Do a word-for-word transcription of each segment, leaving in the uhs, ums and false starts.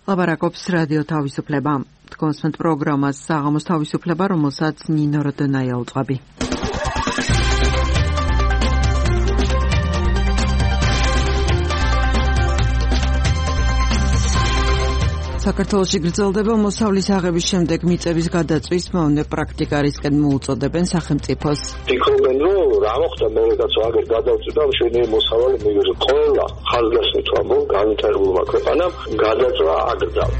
ლაბარაკობს რადიო თავისუფლება. თქვენს პროგრამას საღამოს თავისუფლება, რომელსაც ნინო როდონაია უძღვები. საქართველოში გრძელდება მოსავლის აღების შემდეგ მიწების გადაწვის მავნე პრაქტიკარისკენ მოუწოდებენ სახელმწიფოს. ფიქრობენ, რომ რა მოხდა მერეც აღარ გადაწვდა მშვენიერი მოსავალი მიგეზე. ყველა ხალხასნით ამბობ განვითარებულმა ქვეყანამ გადაწვა აკრძალა.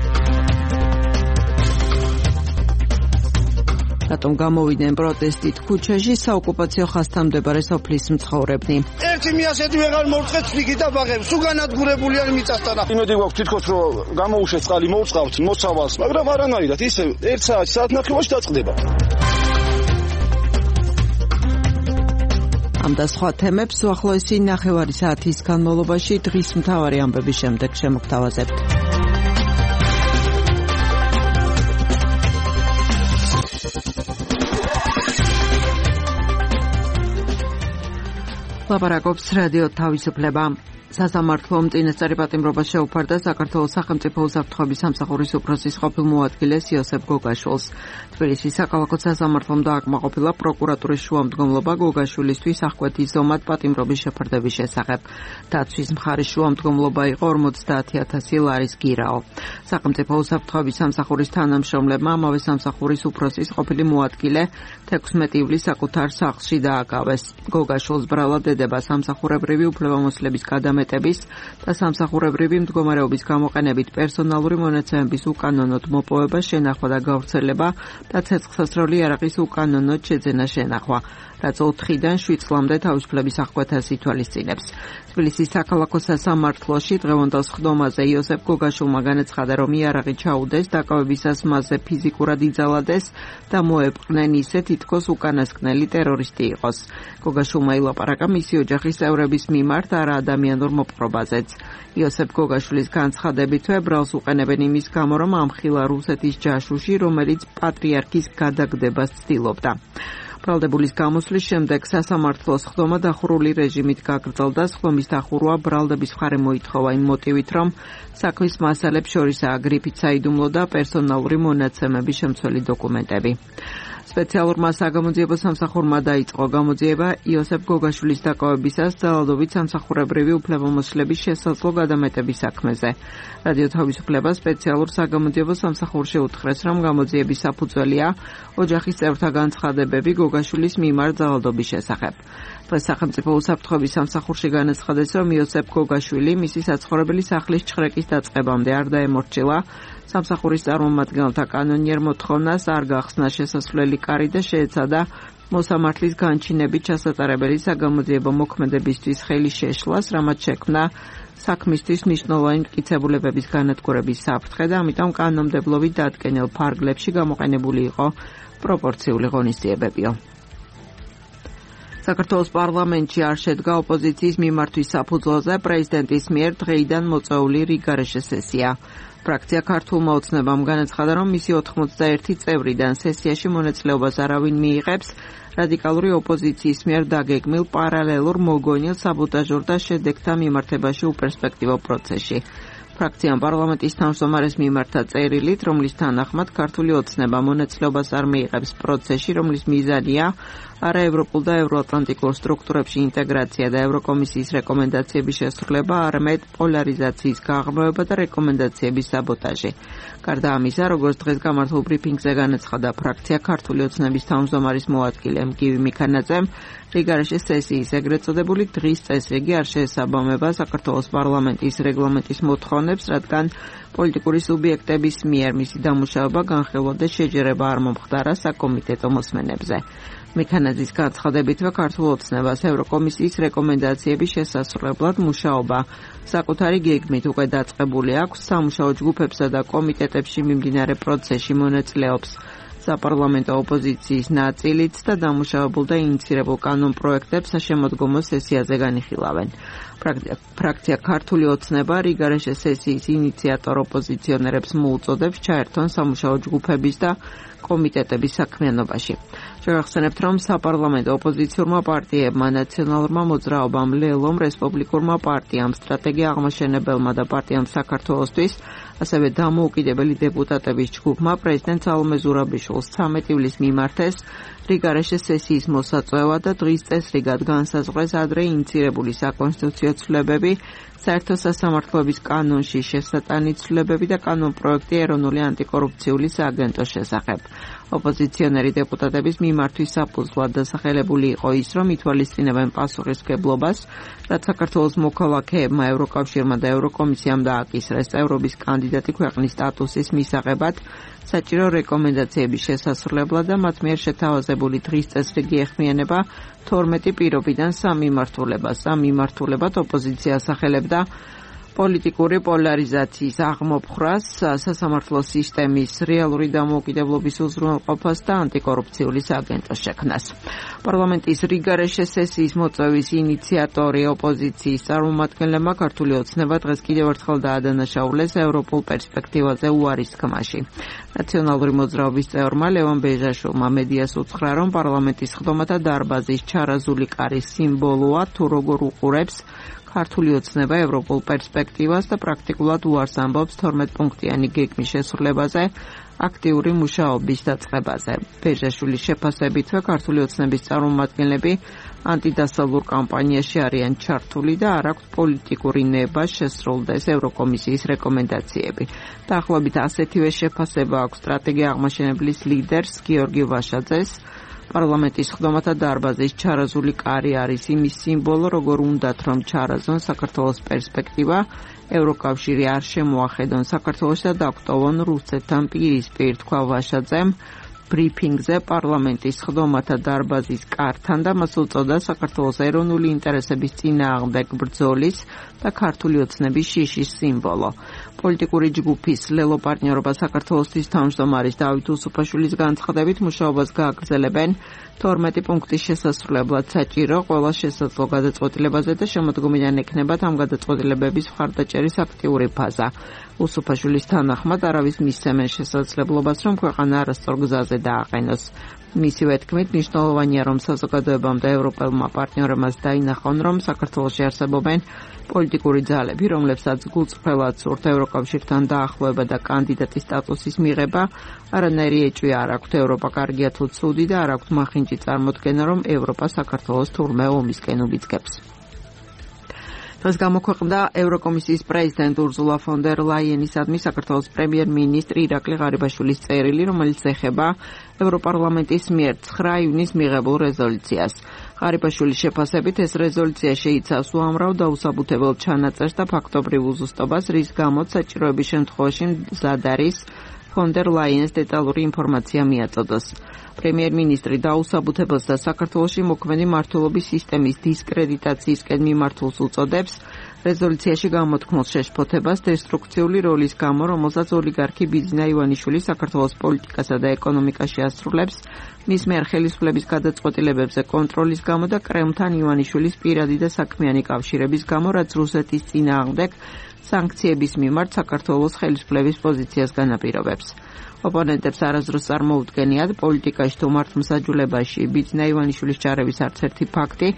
რატომ გამოვიდნენ პროტესტით ქუჩაში საოკუპაციო ხაზთან მდებარე სოფლის მცხოვრებნი? ერთი მიასეთი ვეღარ მოვწყეთ ცვლიგი და ბაღებს, უგანადგურებული არ მიწასთან. იმედი გვაქვს თითქოს რომ გამოუშვეს წყალი მოვწყავთ მოსავალს, მაგრამ არანაირად ისე ერთ საათი საათნახევარში დაწყდება. ამ და სხვა თემებს უახლოესი ნახევარი საათის განმავლობაში დღის მთავარი ამბების შემდეგ შემოგთავაზებთ. ლაბარაკობს რადიო თავისუფლება. სასამართლომ წინასწარი პატიმრობა შეუფარდა საქართველოს სახელმწიფო უსაფრთხოების სამსახურის უფროსის ყოფილ მოადგილეს იოსებ გოგაშვილს. თბილისის საქალაქო სასამართლომ დააკმაყოფილა პროკურატურის შუამდგომლობა გოგაშვილისთვის აღკვეთის ზომად პატიმრობის შეფარდების შესახებ. დაცვის მხარის შუამდგომლობა იყო ორმოცდაათი ათასი ლარის გირაო. სახელმწიფო უსაფრთხოების სამსახურის თანამშრომლებმა ამავე სამსახურის უფროსის ყოფილი მოადგილე თექვსმეტი ივლისს საკუთარ სახლში დააკავეს. გოგაშვილს ბრალად ედება სამსახურებრივი უფლებამოსილების გადამეტების და სამსახურებრივი მდგომარეობის გამოყენებით პერსონალური მონაცემების უკანონოდ მოპოვება, შენახვა და გავრცელება და ცეცხლსასროლი იარაღის უკანონოდ შეძენა შენახვა, რაც ოთხიდან შვიდ წლამდე თავისუფლების აღკვეთას ითვალისწინებს. თბილისის საქალაქო სასამართლოში დღევანდელ სხდომაზე იოსებ გოგაშვილმა განაცხადა, რომ იარაღი ჩაუდეს, დაკავებისას მასზე ფიზიკურად იძალადეს და მოეპყნენ ისე, თითქოს უკანასკნელი ტერორისტი იყოს. გოგაშვილმა ილაპარაკა მისი ოჯახის წევრების მიმართ, არა ადამიანურ მოპყრობაზეც. იოსებ გოგაშვილის განცხადებითვე ბრალს უყენებენ იმის გამო, რომ ამხილა რუსეთის ჯაშუში, რომელიც პატრიარქის გადაგდებას ცდილობდა. ბრალდებულის გამოსვლის შემდეგ სასამართლოს სხდომა დახურული რეჟიმით გაგრძელდა. სხდომის დახურვა ბრალდების მხარე მოითხოვა იმ მოტივით, რომ საქმის მასალებს შორისაა გრიფით საიდუმლო და პერსონალური მონაცემების შემცველი დოკუმენტები. სპეციალურმა საგამოძიებო სამსახურმა დაიწყო გამოძიება იოსებ გოგაშვილის დაკავებისას ძალადობით სამსახურებრივი უფლებამოსილების შესაძლო გადამეტების საქმეზე. რადიო თავისუფლება სპეციალურ საგამოძიებო სამსახურში უთხრეს, რომ გამოძიების საფუძველია ოჯახის წევრთა განცხადებები გოგაშვილის მიმართ ძალადობის შესახებ. დღეს სახელმწიფო უსაფრთხოების სამსახურში განაცხადეს, რომ იოსებ გოგაშვილი მისი საცხოვრებელი სახლის ჩხრეკის დაწყებამდე არ დაემორჩილა სამსახურის წარმომადგენელთა კანონიერ მოთხოვნას, არ გახსნა შესასვლელი კარი და შეეცადა მოსამართლის განჩინებით ჩასატარებელი საგამოძიებო მოქმედებისთვის ხელი შეშლას, რამაც შექმნა საქმისთვის მნიშვნელოვანი მტკიცებულებების განადგურების საფრთხე და ამიტომ კანონმდებლობით დადგენილ ფარგლებში გამოყენებული იყო პროპორციული ღონისძიებებიო. საქართველოს პარლამენტში არ შედგა ოპოზიციის მიმართვის საფუძველზე პრეზიდენტის მიერ დღეიდან მოწვეული რიგარეშე სესია. ფრაქცია ქართულმა ოცნებამ განაცხადა, რომ მისი ოთხმოცდაერთი წევრიდან სესიაში მონაწილეობას არავინ მიიღებს რადიკალური ოპოზიციის მიერ დაგეგმილ პარალელურ მოგონილ საბოტაჟურ და შედეგთა მიმართებაში უპერსპექტივო პროცესში. ფრაქციამ პარლამენტის თავმჯდომარეს მიმართა წერილით, რომლის თანახმად ქართული ოცნება მონაწილეობას არ მიიღებს პროცესში, რომლის მიზანია არაევროპულ და ევროატლანტიკურ სტრუქტურებში ინტეგრაცია და ევროკომისიის რეკომენდაციების შესრულება, არამედ პოლარიზაციის გაღრმავება და რეკომენდაციების საბოტაჟი. გარდა ამისა, როგორც დღეს გამართულ ბრიფინგზე განაცხადა ფრაქცია ქართული ოცნების თავმჯდომარის მოადგილე მგივი მიქანაძემ, რიგარეშე სესიის ეგრეთ წოდებული დღის წესრიგი არ შეესაბამება საქართველოს პარლამენტის რეგლამენტის მოთხოვნებს, რადგან პოლიტიკური სუბიექტების მიერ მისი დამუშავება, განხილვა და შეჯერება არ მომხდარა საკომიტეტო მოსმენებზე. მიქანაძის განცხადებითვე ქართულ ოცნებას ევროკომისიის რეკომენდაციების შესასრულებლად მუშაობა საკუთარი გეგმით უკვე დაწყებული აქვს. სამუშაო ჯგუფებსა და კომიტეტებში მიმდინარე პროცესში მონაწილეობს საპარლამენტო ოპოზიციის ნაწილიც და დამუშავებულ და ინიცირებულ კანონ პროექტებს საშემოდგომო სესიაზე განიხილავენ. ფრაქცია ქართული ოცნება რიგარეშე სესიის ინიციატორ ოპოზიციონერებს მოუწოდებს ჩაერთონ სამუშაო ჯგუფების და კომიტეტების საქმიანობაში. შევახსენებთ, რომ საპარლამენტო ოპოზიციურმა პარტიებმა, ნაციონალურმა მოძრაობამ, ლელომ, რესპუბლიკურმა პარტიამ, სტრატეგია აღმაშენებელმა და პარტიამ საქართველოსთვის, ასევე დამოუკიდებელი დეპუტატების ჯგუფმა პრეზიდენტ სალომე ზურაბიშვილს ცამეტი ივლისს მიმართეს რიგარეშე სესიის მოსაწვევა და დღის წესრიგად განსაზღვრეს ადრე ინიცირებული საკონსტიტუციო ცვლილებები, საერთო სასამართლოების კანონში შესატანი ცვლილებები და კანონპროექტი ეროვნული ანტიკორუფციული სააგენტოს შესახებ. ოპოზიციონერი დეპუტატების მიმართვის საფუძვლად დასახელებული იყო ის, რომ ითვალისწინებენ პასუხისმგებლობას, რაც საქართველოს მოქალაქეებმა, ევროკავშირმა და ევროკომისიამ დააკისრეს წევრობის კანდიდატი ქვეყნის სტატუსის მისაღებად, საჭირო რეკომენდაციების შესასრულებლად და მათ მიერ შეთავაზებული დღის წესრიგი ეხმიანება თორმეტი პირობიდან სამ მიმართულებას. ამ მიმართულებად ოპოზიცია ასახელებდა პოლიტიკური პოლარიზაციის აღმოფხრას, სასამართლო სისტემის რეალური დამოუკიდებლობის უზრუნველყოფას და ანტიკორუფციული სააგენტოს შექმნას. პარლამენტის რიგარეშე სესიის მოწვევის ინიციატორი ოპოზიციის წარმომადგენლებმა ქართული ოცნება დღეს კიდევ ერთხელ დაადანაშაულეს ევროპულ პერსპექტივაზე უარის თქმაში. ნაციონალური მოძრაობის წევრმა ლევან ბეჟაშვილმა მედიას უთხრა, რომ პარლამენტის ხდომათა დარბაზის ჩარაზული კარის სიმბოლოა, თუ როგორ უყურებს ქართული ოცნება ევროპულ პერსპექტივას და პრაქტიკულად უარს ამბობს თორმეტ-პუნქტიანი გეგმის შესრულებაზე, აქტიური მუშაობის დაწყებაზე. ბეჟაშვილის შეფასებითვე ქართული ოცნების წარმომადგენლები ანტიდასავლურ კამპანიაში არიან ჩართული და არ აქვთ პოლიტიკური ნება შესრულდეს ევროკომისიის რეკომენდაციები. დაახლოებით ასეთივე შეფასება აქვს სტრატეგია აღმაშენებლის ლიდერს გიორგი ვაშაძეს. პარლამენტის ხდომათა დარბაზის ჩარაზული კარი არის იმის სიმბოლო, როგორ უნდათ რომ ჩარაზონ საქართველოს პერსპექტივა, ევროკავშირი არ შემოახედონ საქართველოს და დაგვტოვონ რუსეთთან პირისპირ, თქვა ვაშაძემ ბრიფინგზე პარლამენტის ხდომათა დარბაზის კართან და მას უწოდა საქართველოს ეროვნული ინტერესების წინააღმდეგ ბრძოლის და ქართული ოცნების შიშის სიმბოლო. პოლიტიკური ჯგუფის ლელო პარტნიორობა საქართველოსთვის თავმჯდომარის დავით უსუფაშვილის განცხადებით მუშაობას გააგრძელებენ თორმეტი პუნქტის შესასრულებლად საჭირო ყველა შესაძლო გადაწყვეტილებაზე და შემოდგომიდან ექნებათ ამ გადაწყვეტილებების მხარდაჭერის აქტიური ფაზა. უსუფაშვილის თანახმად არავის მისცემენ შესაძლებლობას, რომ ქვეყანა არასწორ გზაზე დააყენოს. მისივე თქმით, მნიშვნელოვანია, რომ საზოგადოებამ და ევროპელმა პარტნიორებმაც დაინახონ, რომ საქართველოში არსებობენ პოლიტიკური ძალები, რომლებსაც გულწრფელად სურთ ევროკავშირთან დაახლოება და კანდიდატის სტატუსის მიღება, არანაირი ეჭვი არ აქვთ ევროპა კარგია თუ ცუდი და არ აქვთ მახინჯი წარმოდგენა, რომ ევროპა საქართველოს თურმე ომისკენ უბიძგებს. დღეს გამოქვეყნდა ევროკომისიის პრეზიდენტ ურზულა ფონ დერ ლაიენისადმი საქართველოს პრემიერ-მინისტრი ირაკლი ღარიბაშვილის წერილი, რომელიც ეხება ევროპარლამენტის მიერ ცხრა ივნისს მიღებულ რეზოლუციას. ღარიბაშვილის შეფასებით ეს რეზოლუცია შეიცავს უამრავ და უსაბუთებელ ჩანაწერს და ფაქტობრივ უზუსტობას, რის გამოც საჭიროების შემთხვევაში მზად არის ფონ დერ ლაიენს დეტალური ინფორმაცია მიაწოდოს. პრემიერ-მინისტრი დაუსაბუთებელს და საქართველოში მოქმედი მმართველობის სისტემის დისკრედიტაციისკენ მიმართულს უწოდებს რეზოლუციაში გამოთქმულ შეშფოთებას დესტრუქციული როლის გამო, რომელსაც ოლიგარქი ბიძინა ივანიშვილი საქართველოს პოლიტიკასა და ეკონომიკაში ასრულებს, მის მიერ ხელისუფლების გადაწყვეტილებებზე კონტროლის გამო და კრემლთან ივანიშვილის პირადი და საქმიანი კავშირების გამო, რაც რუსეთის წინააღმდეგ სანქციების მიმართ საქართველოს ხელისუფლების პოზიციას განაპირობებს. ოპონენტებს არასდროს წარმოუდგენიათ პოლიტიკაში თუ მართლმსაჯულებაში ბიძინა ივანიშვილის ჩარევის არც ერთი ფაქტი,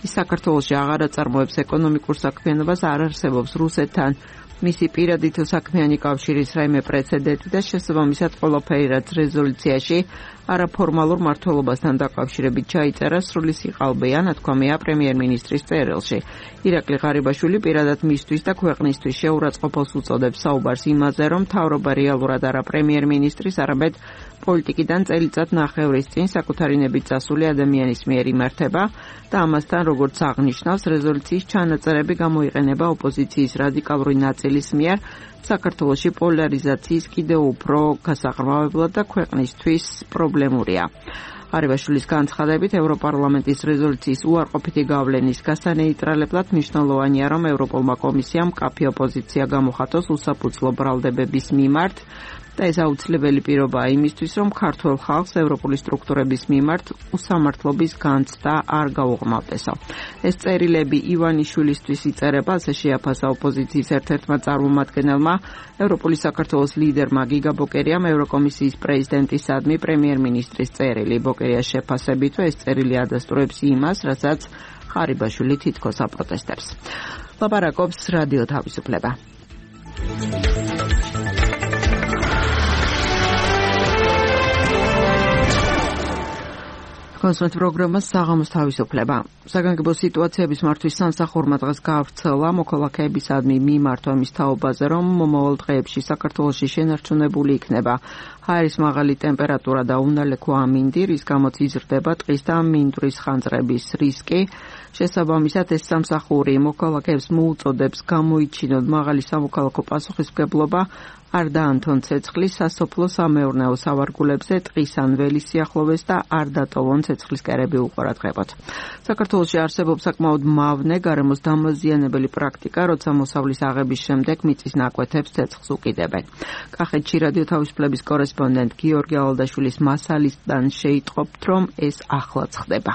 ის საქართველოში აღარ აწარმოებს ეკონომიკურ საქმიანობას, არ არსებობს რუსეთთან მისი პირადი თუ საქმიანი კავშირის რაიმე პრეცედენტი და შესაბამისად ყველაფერი, რაც რეზოლუციაში არაფორმალურ მმართველობასთან დაკავშირებით ჩაიწერა, სრული სიყალბეა, ნათქვამია პრემიერ-მინისტრის წერილში. ირაკლი ღარიბაშვილი პირადად მისთვის და ქვეყნისთვის შეურაცხყოფას უწოდებს საუბარს იმაზე, რომ მთავრობა რეალურად არა პრემიერ-მინისტრის, არამედ პოლიტიკიდან წელიწად ნახევრის წინ საკუთარი ნებით წასული ადამიანის მიერ იმართება და ამასთან, როგორც აღნიშნავს, რეზოლუციის ჩანაწერები გამოიყენება ოპოზიციის რადიკალური ნაწილის მიერ საქართველოში პოლარიზაციის კიდევ უფრო გასაღრმავებლად და ქვეყნისთვის პრობლემურია. ღარიბაშვილის განცხადებით, ევროპარლამენტის რეზოლუციის უარყოფითი გავლენის გასანეიტრალებლად მნიშვნელოვანია, რომ ევროპულმა კომისიამ მკაფიო პოზიცია გამოხატოს უსაფუძვლო ბრალდებების მიმართ და ეს აუცილებელი პირობაა იმისთვის, რომ ქართველ ხალხს ევროპული სტრუქტურების მიმართ უსამართლობის განცდა არ გაუღმავდესო. ეს წერილები ივანიშვილისთვის იწერება, ასე შეაფასა ოპოზიციის ერთ-ერთმა წარმომადგენელმა, ევროპული საქართველოს ლიდერმა გიგა ბოკერიამ ევროკომისიის პრეზიდენტისადმი პრემიერ-მინისტრის წერილი. ბოკერიას შეფასებით, ეს წერილი ადასტურებს იმას, რასაც ხარიბაშვილი თითქოს აპროტესტებს. ლაპარაკობს რადიო თავისუფლება. კონსულტ პროგრამას საღამოს თავისუფლება. საგანგებო სიტუაციების მართვის სამსახურმა დღეს გაავრცელა მოქალაქეებისადმი მიმართვების თაობაზე, რომ მომავალ დღეებში საქართველოში შენარჩუნებული იქნება ჰაერის მაღალი ტემპერატურა და უნალექო ამინდი, რის გამოც იზრდება ტყის და მინდვრის ხანძრების რისკი. შესაბამისად, ეს სამსახური მოქალაქეებს მოუწოდებს გამოიჩინონ მაღალი სამოქალაქო პასუხისმგებლობა არ დაანთონ ცეცხლის სასოფლო სამეურნეო სავარგულებზე ტყის ან ველის სიახლოვეს და არ დატოვონ ცეცხლის კერები უყურადღებოდ. საქართველოში არსებობს საკმაოდ მავნე გარემოს დამაზიანებელი პრაქტიკა, როცა მოსავლის აღების შემდეგ მიწის ნაკვეთებს ცეცხლს უკიდებენ. კახეთში რადიო თავისუფლების კორესპონდენტ გიორგი ალადაშვილის მასალისგან შეიტყობთ, რომ ეს ახლაც ხდება.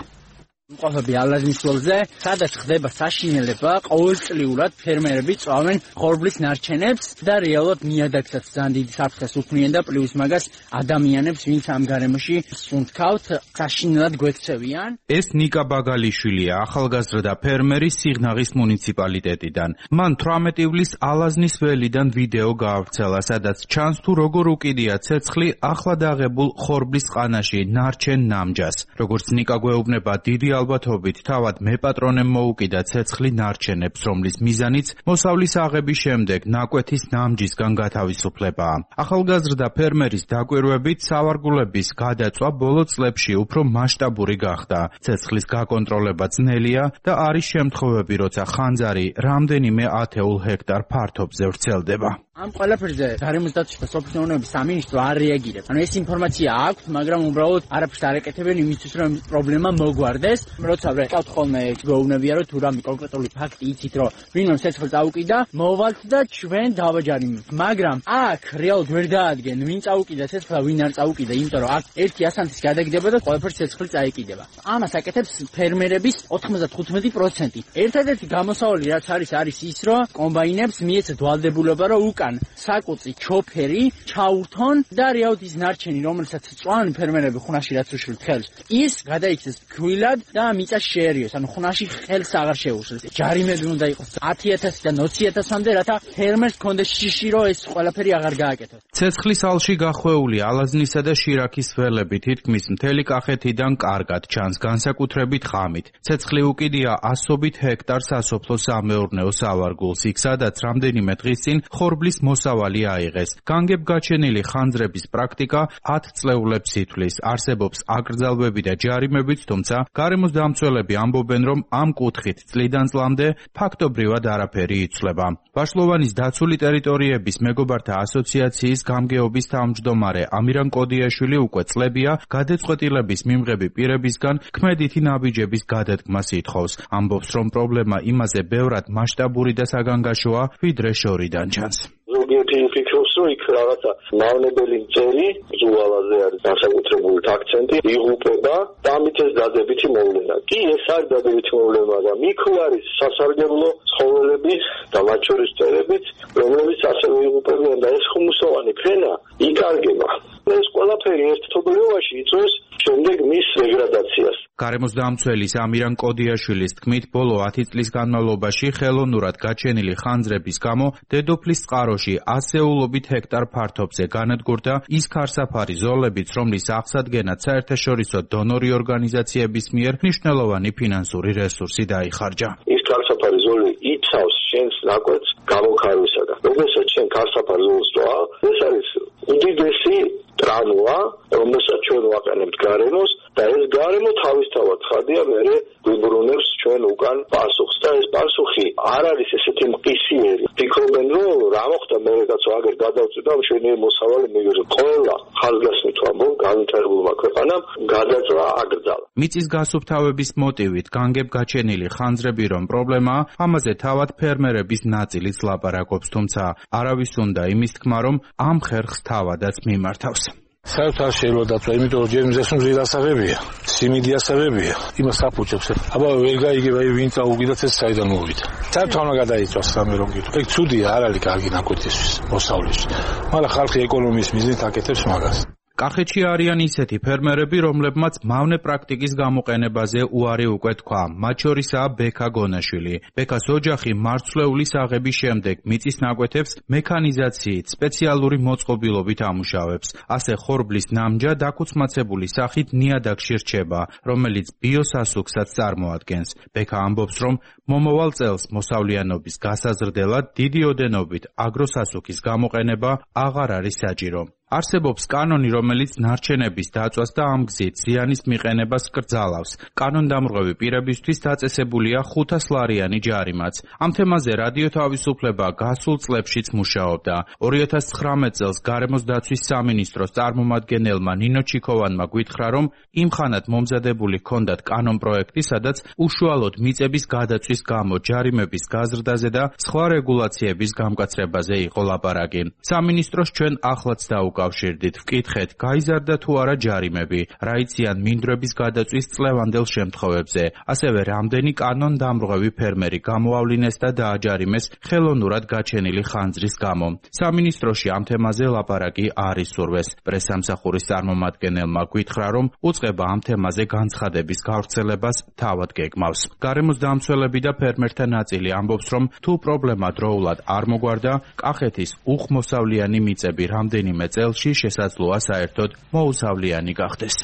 მყოფები ალაზნისველზე, სადაც ხდება საშინელება, ყოველწლიურად ფერმერები წვავენ ხორბლის ნარჩენებს და რეალურად ნიადაგსაც ძალიან დიდი საფრთხეს უქმნიან და პლუს მაგას ადამიანებს, ვინც ამ გარემოში სუნთქავთ, საშინელად გვექცევიან. ეს ნიკა ბაგალიშვილია, ახალგაზრდა ფერმერი სიღნაღის მუნიციპალიტეტიდან. მან თვრამეტი ივლისს ალაზნის ველიდან ვიდეო გაავრცელა, სადაც ჩანს თუ როგორ უკიდია ცეცხლი ახლად აღებულ ხორბლის ყანაში ნარჩენ ნამჯას. როგორც ნიკა გვეუბნება, დიდი ალბათობით თავად მეპატრონემ მოუკიდა ცეცხლი ნარჩენებს, რომლის მიზანიც მოსავლის აღების შემდეგ ნაკვეთის ნამჯისგან გათავისუფლებაა. ახალგაზრდა ფერმერის დაკვირვებით სავარგულების გადაწვა ბოლო წლებში უფრო მასშტაბური გახდა. ცეცხლის გაკონტროლება ძნელია და არის შემთხვევები, როცა ხანძარი რამდენიმე ათეულ ჰექტარ ფართობზე ვრცელდება. ამ ყველაფერზე გარემოს დაცვის და სოფლის მეურნეობის სამინისტრო არ რეაგირებს. ანუ ეს ინფორმაცია აქვს, მაგრამ უბრალოდ არაფერს არ ეკეთებენ იმისთვის, რომ პრობლემა მოგვარდეს. როცა ვყავთ ხოლმე გვეუბნებია, რომ თუ რამე კონკრეტული ფაქტი იცით, რომ ვინმე ცეცხლს წაუკიდა, მოვალთ და ჩვენ დავაჯარიმთ. მაგრამ აქ რეალურად ვერ დაადგენ, ვინ წაუკიდა ცეცხლს და ვინ არ წაუკიდა, იმიტომ რომ აქ ერთი ასანთის გადაგდება და ყველაფერს ცეცხლი წაიკიდება. ამას აკეთებს ფერმერების ოთხმოცდათხუთმეტი პროცენტი. ერთადერთი გამოსავალი რაც არის, არის ის, რომ კომბაინებს მიეცათ ვალდებულება, რომ უკან საკუწი ჩოფერი ჩაურთონ და რეალურად ის ნარჩენი, რომელსაც წვავენ ფერმერები ხუნაში რაც უშვილთ ხელს, ის გადაიქცეს ქვილად და მიწა შეერიოს, ანუ ხუნაში ხელს აღარ შეუშლის. ჯარიმები უნდა იყოს ათი ათასიდან ოცი ათასამდე, რათა ფერმერს კონდეს შიში, რომ ეს ყველაფერი აღარ გააკეთოს. ცეცხლის ალში გახვეული ალაზნისა და შირაქის ველები თითქმის მთელი კახეთიდან კარგად ჩანს, განსაკუთრებით ღამით. ცეცხლი უკიდია ასობით ჰექტარ სასოფლო სამეურნეო სავარგულს, იქ სადაც რამდენიმე დღის წინ ხორბლის მოსავალი აიღეს. განგებ გაჩენილი ხანძრების პრაქტიკა ათ წლეულებს ითვლის. არსებობს აკრძალვები და ჯარიმებიც, თუმცა გარემოს დამცველები ამბობენ, რომ ამ კუთხით წლიდან წლამდე ფაქტობრივად არაფერი იცვლება. ბაშლოვანის დაცული ტერიტორიების მეგობართა ასოციაციის გამგეობის თავმჯდომარე ამირან კოდიაშვილი უკვე წლებია გადაწყვეტილების მიმღები პირებისგან ქმედითი ნაბიჯების გადადგმას ითხოვს. ამბობს, რომ პრობლემა იმაზე ბევრად მასშტაბური და საგანგაშოა, ვიდრე შორიდან ჩანს. ზოგიერთი ფიქრობს, რომ იქ რაღაცა მავნებელი მწერი ზუალაზე არის განსაკუთრებული აქცენტი იღუპება და ამით ეს დადებითი მოვლენა. კი, ეს არის დადებითი მოვლენა, მაგრამ იქ არის სასარგებლო ცხოველები და მათ შორის მწერებიც, რომლებიც ასევე იღუპებიან და ეს ხუმუსოვანი ფენა იკარგება. ეს ყველაფერი ერთობლიობაში იწვევს შემდეგ მის დეგრადაციას. გარემოს დამცველის ამირან კოდიაშვილის თქმით, ბოლო ათი წლის განმავლობაში ხელოვნურად გაჩენილი ხანძრების გამო დედოფლის წყაროში ასეულობით ჰექტარ ფართობზე განადგურდა ის ქარსაფარი ზოლებიც, რომლის აღსადგენად საერთაშორისო დონორი ორგანიზაციების მიერ მნიშვნელოვანი ფინანსური რესურსი დაიხარჯა. ის ქარსაფარი ზოლი იცავს შენს ნაკვეთს გამოქარვისაგან. როდესაც შენ ქარსაფარ ზოლს წვა, ეს არის უდიდესი ტრანოა, რომელსაც ჩვენ ვაყენებთ გარემოს და ეს გარემო თავისთავად ხადია მერე ვიბრუნებს ჩვენ უკან პასუხს და ეს პასუხი არ არის ესეთი მყისიერი. ფიქრობენ რომ რა მოხდა მე კაცო აგერ გადავწვიდა მშვენიერი მოსავალი მიგერო. ყველა ხალხასნით ვამბობ განვითარებულმა ქვეყანამ გადაწვა აკრძალა. მიწის გასუფთავების მოტივით განგებ გაჩენილი ხანძრები რომ პრობლემაა, ამაზე თავად ფერმერების ნაწილიც ლაპარაკობს, თუმცა არავის უნდა იმის თქმა რომ ამ ხერხს თავადაც მიმართავს. საერთოდ არ შეიძლება დაწვა, იმიტომ რომ ჯერ მზეს რომ ზირასაღებია, სიმინდი ასაღებია, იმას აფუჭებს. აბა ვერ გაიგება ვინ წაუგიდათ ეს საიდან მოვიდა. საერთოდ არ გადაიწვას სამე რომ გითხრა. ეგ ცუდია, არ არის კარგი ნაკვეთისთვის, მოსავლისთვის. მაგრამ ხალხი ეკონომიის მიზნით აკეთებს მაგას. კახეთში არიან ისეთი ფერმერები, რომლებმაც მავნე პრაქტიკის გამოყენებაზე უარი უკვე თქვა. მათ შორისაა ბექა გონაშვილი. ბექას ოჯახი მარცვლეული საღების შემდეგ მიწის ნაკვეთებს მექანიზაციით, სპეციალური მოწყობილობით ამუშავებს. ასე ხორბლის ნამჯა დაქუცმაცებული სახით ნიადაგში რჩება, რომელიც ბიოსასუქსაც წარმოადგენს. ბექა ამბობს, რომ მომავალ წელს მოსავლიანობის გასაზრდელად დიდი ოდენობით აგროსასუქის გამოყენება აღარ არის საჭირო. არსებობს კანონი, რომელიც ნარჩენების დაწვას და ამ გზით ზიანის მიყენებას კრძალავს. კანონდამრღვევი პირებისთვის დაწესებულია ხუთას ლარიანი ჯარიმაც. ამ თემაზე რადიო თავისუფლება გასულ წლებშიც მუშაობდა. ორი ათას ცხრამეტ წელს გარემოს დაცვის სამინისტროს წარმომადგენელმა ნინო ჩიქოვანმა გვითხრა, რომ იმ ხანად მომზადებული ჰქონდათ კანონ პროექტი, სადაც უშუალოდ მიწების გადაწვის გამო ჯარიმების გაზრდაზე და სხვა რეგულაციების გამკაცრებაზე იყო ლაპარაკი. სამინისტროს ჩვენ ახლაც დაუკავ კავშირდით ვკითხეთ, გაიზარდა თუ არა ჯარიმები, რა იციან მინდვრების გადაწვის წლევანდელ შემთხვევებზე. ასევე რამდენი კანონდამრღვევი ფერმერი გამოავლინეს და დააჯარიმეს ხელოვნურად გაჩენილი ხანძრის გამო. სამინისტროში ამ თემაზე ლაპარაკი არ ისურვეს. პრესსამსახურის წარმომადგენელმა გვითხრა, რომ უწყება ამ თემაზე განცხადების გავრცელებას თავად გეგმავს. გარემოს დამცველები და ფერმერთა ნაწილი ამბობს, რომ თუ პრობლემა დროულად არ მოგვარდა, კახეთის უხმოსავლიანი მიწები რამდენიმე წელს შესაძლოა საერთოდ მოუსავლიანი გახდეს.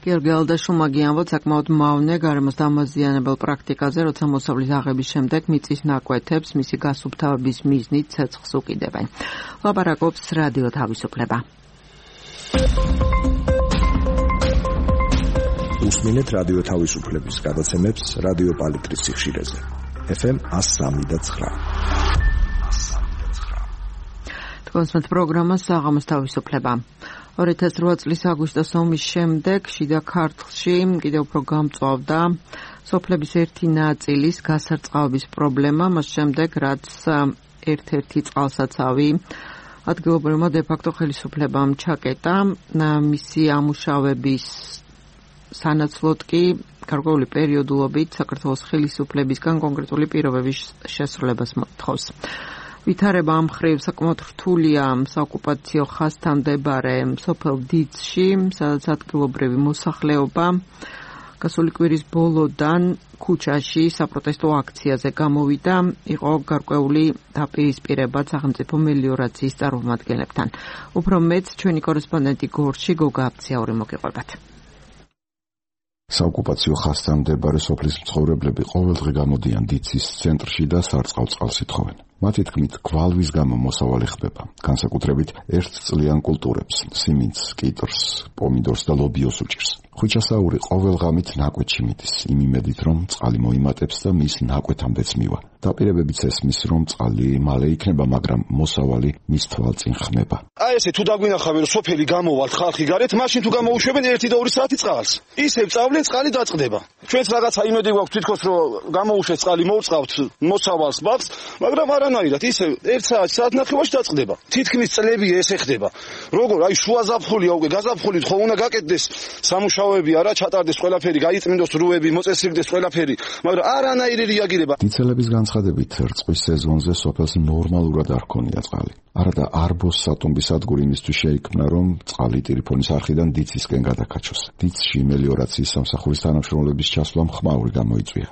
გიორგი ალდაშუმაგი ამბობს საკმაოდ მავნე გარემოს დამაზიანებელ პრაქტიკაზე, როცა მოსავლის აღების შემდეგ მიწის ნაკვეთებს მისი გასუფთავების მიზნით ცეცხლს უკიდებენ. ლაპარაკობს რადიო თავისუფლება. უსმინეთ რადიო თავისუფლების გადაცემებს რადიო პალიტრის სიხშირეზე. ეფ ემ one oh three point nine. კონსმეთ პროგრამა საღამოს თავისუფლება. ორი ათას რვა წლის აგვისტოს ომის შემდეგ შიდა ქართლში კიდევ უფრო გამწვავდა სოფლების ერთი ნაწილის გასარწყავების პრობლემა, მას შემდეგ რაც ერთ-ერთი წყალსაცავი ადგილობრივმა დე-ფაქტო ხელისუფლებამ ჩაკეტა. მისი ამუშავების სანაცვლოდ კი გარკვეული პერიოდულობით საქართველოს ხელისუფლებისგან კონკრეტული პირობების შესრულებას მოთხოვს. ვითარება ამ ხრივ საკმაოდ რთულია საოკუპაციო ხაზთან მდებარე სოფელ დიცში, სადაც ადგილობრივი მოსახლეობა გასული კვირის ბოლოდან ქუჩაში საპროტესტო აქციაზე გამოვიდა, იყო გარკვეული დაპირისპირება სახელმწიფო მელიორაციის წარმომადგენლებთან. უფრო მეც ჩვენი კორესპონდენტი გორში გოგა აფციაური მოგიყვებათ. საოკუპაციო ხაზთან მდებარე სოფლის მცხოვრებლები ყოველდღე გამოდიან დიცის ცენტრში და სარწყავ წყალს ითხოვენ. მათი თქმით, გვალვის გამო მოსავალი ხდება, განსაკუთრებით ერთწლიან კულტურებს, სიმინდს, კიტრს, პომიდორს და ლობიოს უჭირს. ხვიჩასაური ყოველ ღამით ნაკვეთში მიდის, იმ იმედით, რომ წყალი მოიმატებს და მის ნაკვეთამდეც მივა. დაპირებებიც ესმის, რომ წყალი მალე იქნება, მაგრამ მოსავალი მის თვალწინ ხმება. აი ესე თუ დაგვინახავენ, რომ სოფელი გამოვალთ ხალხი გარეთ, მაშინ თუ გამოუშვებენ ერთი და ორი საათი წყალს. ისევ წავლენ, წყალი დაწყდება. ჩვენც რაღაცა იმედი გვაქვს თვითქოს, რომ გამოუშვეს წყალი, მოვწყავთ მოსავალს ბაღს, მაგრამ არანაირად, ისევ ერთ საათი, საათ ნახევარში დაწყდება. თითქმის წლები ესე ხდება. როგორ, აი შუა ზაფხულია უკვე, გაზაფხულით ხო უნდა გაკეთდეს სამუშაოები, არა ჩატარდეს ყველაფერი, გაიწმინდოს რუები, მოწესრიგდეს ყველაფერი, მაგრამ არანაირი რეაგირება. დიცელების განცხადებით, რწყვის სეზონზე სოფელს ნორმალურად არ ჰქონია წყალი. არადა არბოს სატომბის სადგური იმისთვის შეიქმნა, რომ წყალი ტელეფონის არხიდან დიცისკენ გადაკაჩოს. დიცში მელიორაციის სამსახურის თანამშრომლების ჩასვლამ ხმაური გამოიწვია.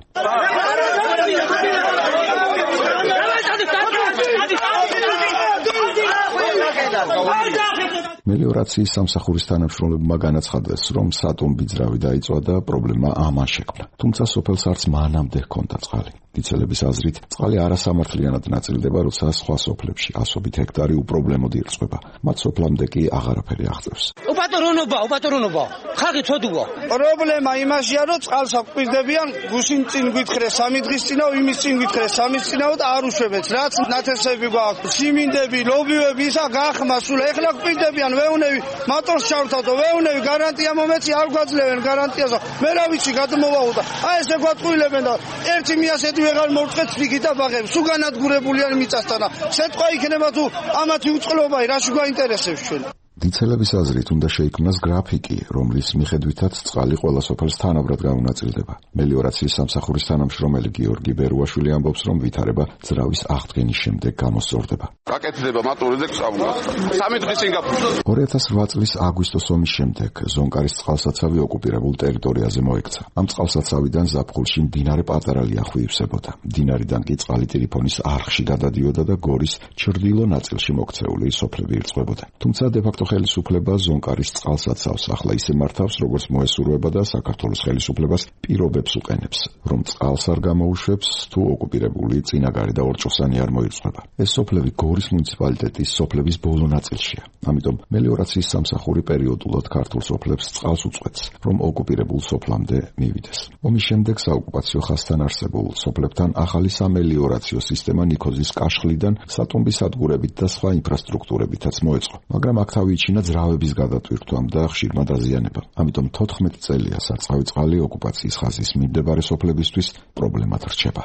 მელიორაციის სამსახურის თანამშრომლებმა განაცხადეს, რომ სატომბი ძრავი დაიწვა და პრობლემა ამან შექმნა. თუმცა სოფელს არც მანამდე ჰქონდა წყალი. დიცელების აზრით, წყალი არასამართლიანად ნაწილდება, როცა სხვა სოფლებში ასობით ჰექტარი უპრობლემოდ ირწყვება. მათ სოფლამდე კი აღარაფერი აღწევს. უპატრონობა, უპატრონობა. ხალხი ცოდუა. პრობლემა იმაშია, რომ წყალს აკვირდებიან, გუშინ წინ გვითხრე სამი დღის წინაო, იმის წინ გვითხრე სამი წინაო და არ უშვებეთ. რაც ნათესები გვაქვს, სიმინდები, ლობივები, ისა გახმა სულ ეხლა გვირდებიან, ვეუნები, მატორს ჩავრთავდო, ვეუნები, გარანტია მომეცი, არ გვაძლევენ გარანტიას. მე რა ვიცი, გადმოვაუდა. აი ესე გვატყუილებენ და ერთი მიასეთი ვეღარ მოვწყეთ ფიქითა ბაღებს. სულ განადგურებულია მიწასთან. შეტყვა იქნება თუ ამათი უწყლობა რაში გვაინტერესებს ჩვენ. დიცელების აზრით უნდა შეიქმნას გრაფიკი, რომლის მიხედვითაც წყალი ყველა სოფელს თანაბრად გაუნაწილდება. მელიორაციის სამსახურის თანამშრომელი გიორგი ბერუაშვილი ამბობს, რომ ვითარება ძრავის აღდგენის შემდეგ გამოსწორდება. გაკეთდება მატურზე გწავლას. სამი დღის წინ გაფუძნა. ორი ათას რვა წლის აგვისტოს ომის შემდეგ ზონკარის წყალსაცავი ოკუპირებულ ტერიტორიაზე მოექცა. ამ წყალსაცავიდან ზაფხულში მდინარე პატარა ლიახვი ივსებოდა. მდინარიდან კი წყალი ტელეფონის არხში გადადიოდა და გორის ჩრდილო ნაწილში მოქცეული სოფლები ირწყვებოდა. თუმცა დე-ფაქტო ხელისუფლება ზონკარის წყალსაცავს ახლა ისე მართავს, როგორც მოესურვება და საქართველოს ხელისუფლებას პირობებს უყენებს, რომ წყალს არ გამოუშვებს თუ ოკუპირებული წინაგარი და ორჭოსანი არ მოირწყვება. ეს სოფლები გორის მუნიციპალიტეტის სოფლების ბოლო ნაწილშია. ამიტომ მელიორაციის სამსახური პერიოდულად ქართულ სოფლებს წყალს უწყვეტს, რომ ოკუპირებულ სოფლამდე მივიდეს. ომის შემდეგ საოკუპაციო ხაზთან არსებულ სოფლებთან ახალი სამელიორაციო სისტემა ნიქოზის კაშხლიდან სატუმბის სადგურებით და სხვა ინფრასტრუქტურებითაც მოეწყო, მაგრამ აქ თავი იჩინა ძრავების გადატვირთვამ და ხშირმა დაზიანებამ. ამიტომ თოთხმეტი წელია სარწყავი წყალი ოკუპაციის ხაზის მიმდებარე სოფლებისთვის პრობლემად რჩება.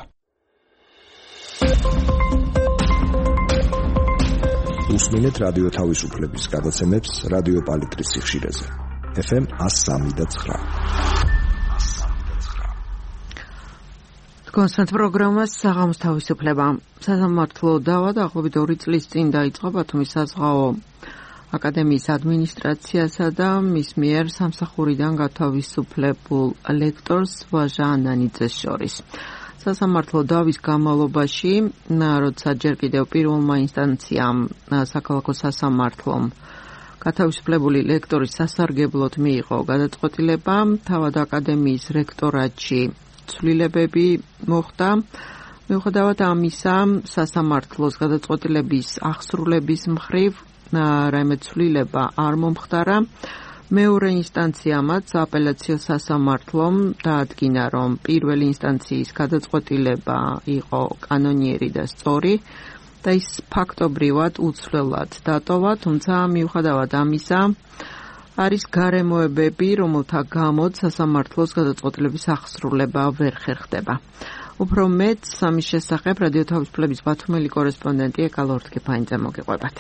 უსმინეთ რადიო თავისუფლების გადაცემებს რადიო პალიტრის სიხშირეზე. ეფ ემ one oh three და nine. კონსტანტ პროგრამას საღამოს თავისუფლება. სასამართლო დავა დაახლოებით ორი წლის წინ დაიწყო ბათუმის საზღვაო აკადემიის ადმინისტრაციასა და მის მიერ სამსახურიდან გათავისუფლებულ ლექტორს ვაჟა ანანიძეს შორის. სასამართლო დავის განმავლობაში, როცა ჯერ კიდევ პირველმა ინსტანციამ საქალაქო სასამართლომ გათავისუფლებული ლექტორის სასარგებლოდ მიიღო გადაწყვეტილება, თავად აკადემიის რექტორატში ცვლილებები მოხდა. მიუხედავად ამისა, სასამართლოს გადაწყვეტილების აღსრულების მხრივ რაიმე ცვლილება არ მომხდარა. მეორე ინსტანციამაც აპელაციო სასამართლომ დაადგინა, რომ პირველი ინსტანციის გადაწყვეტილება იყო კანონიერი და სწორი და ის ფაქტობრივად უცვლელად დატოვა, თუმცა მიუხედავად ამისა არის გარემოებები, რომელთა გამოც სასამართლოს გადაწყვეტილების აღსრულება ვერ ხერხდება. უფრო მეტ ამის შესახებ რადიო თავისუფლების ბათუმელი კორესპონდენტი ეკა ლორთქიფანიძე მოგიყვებათ.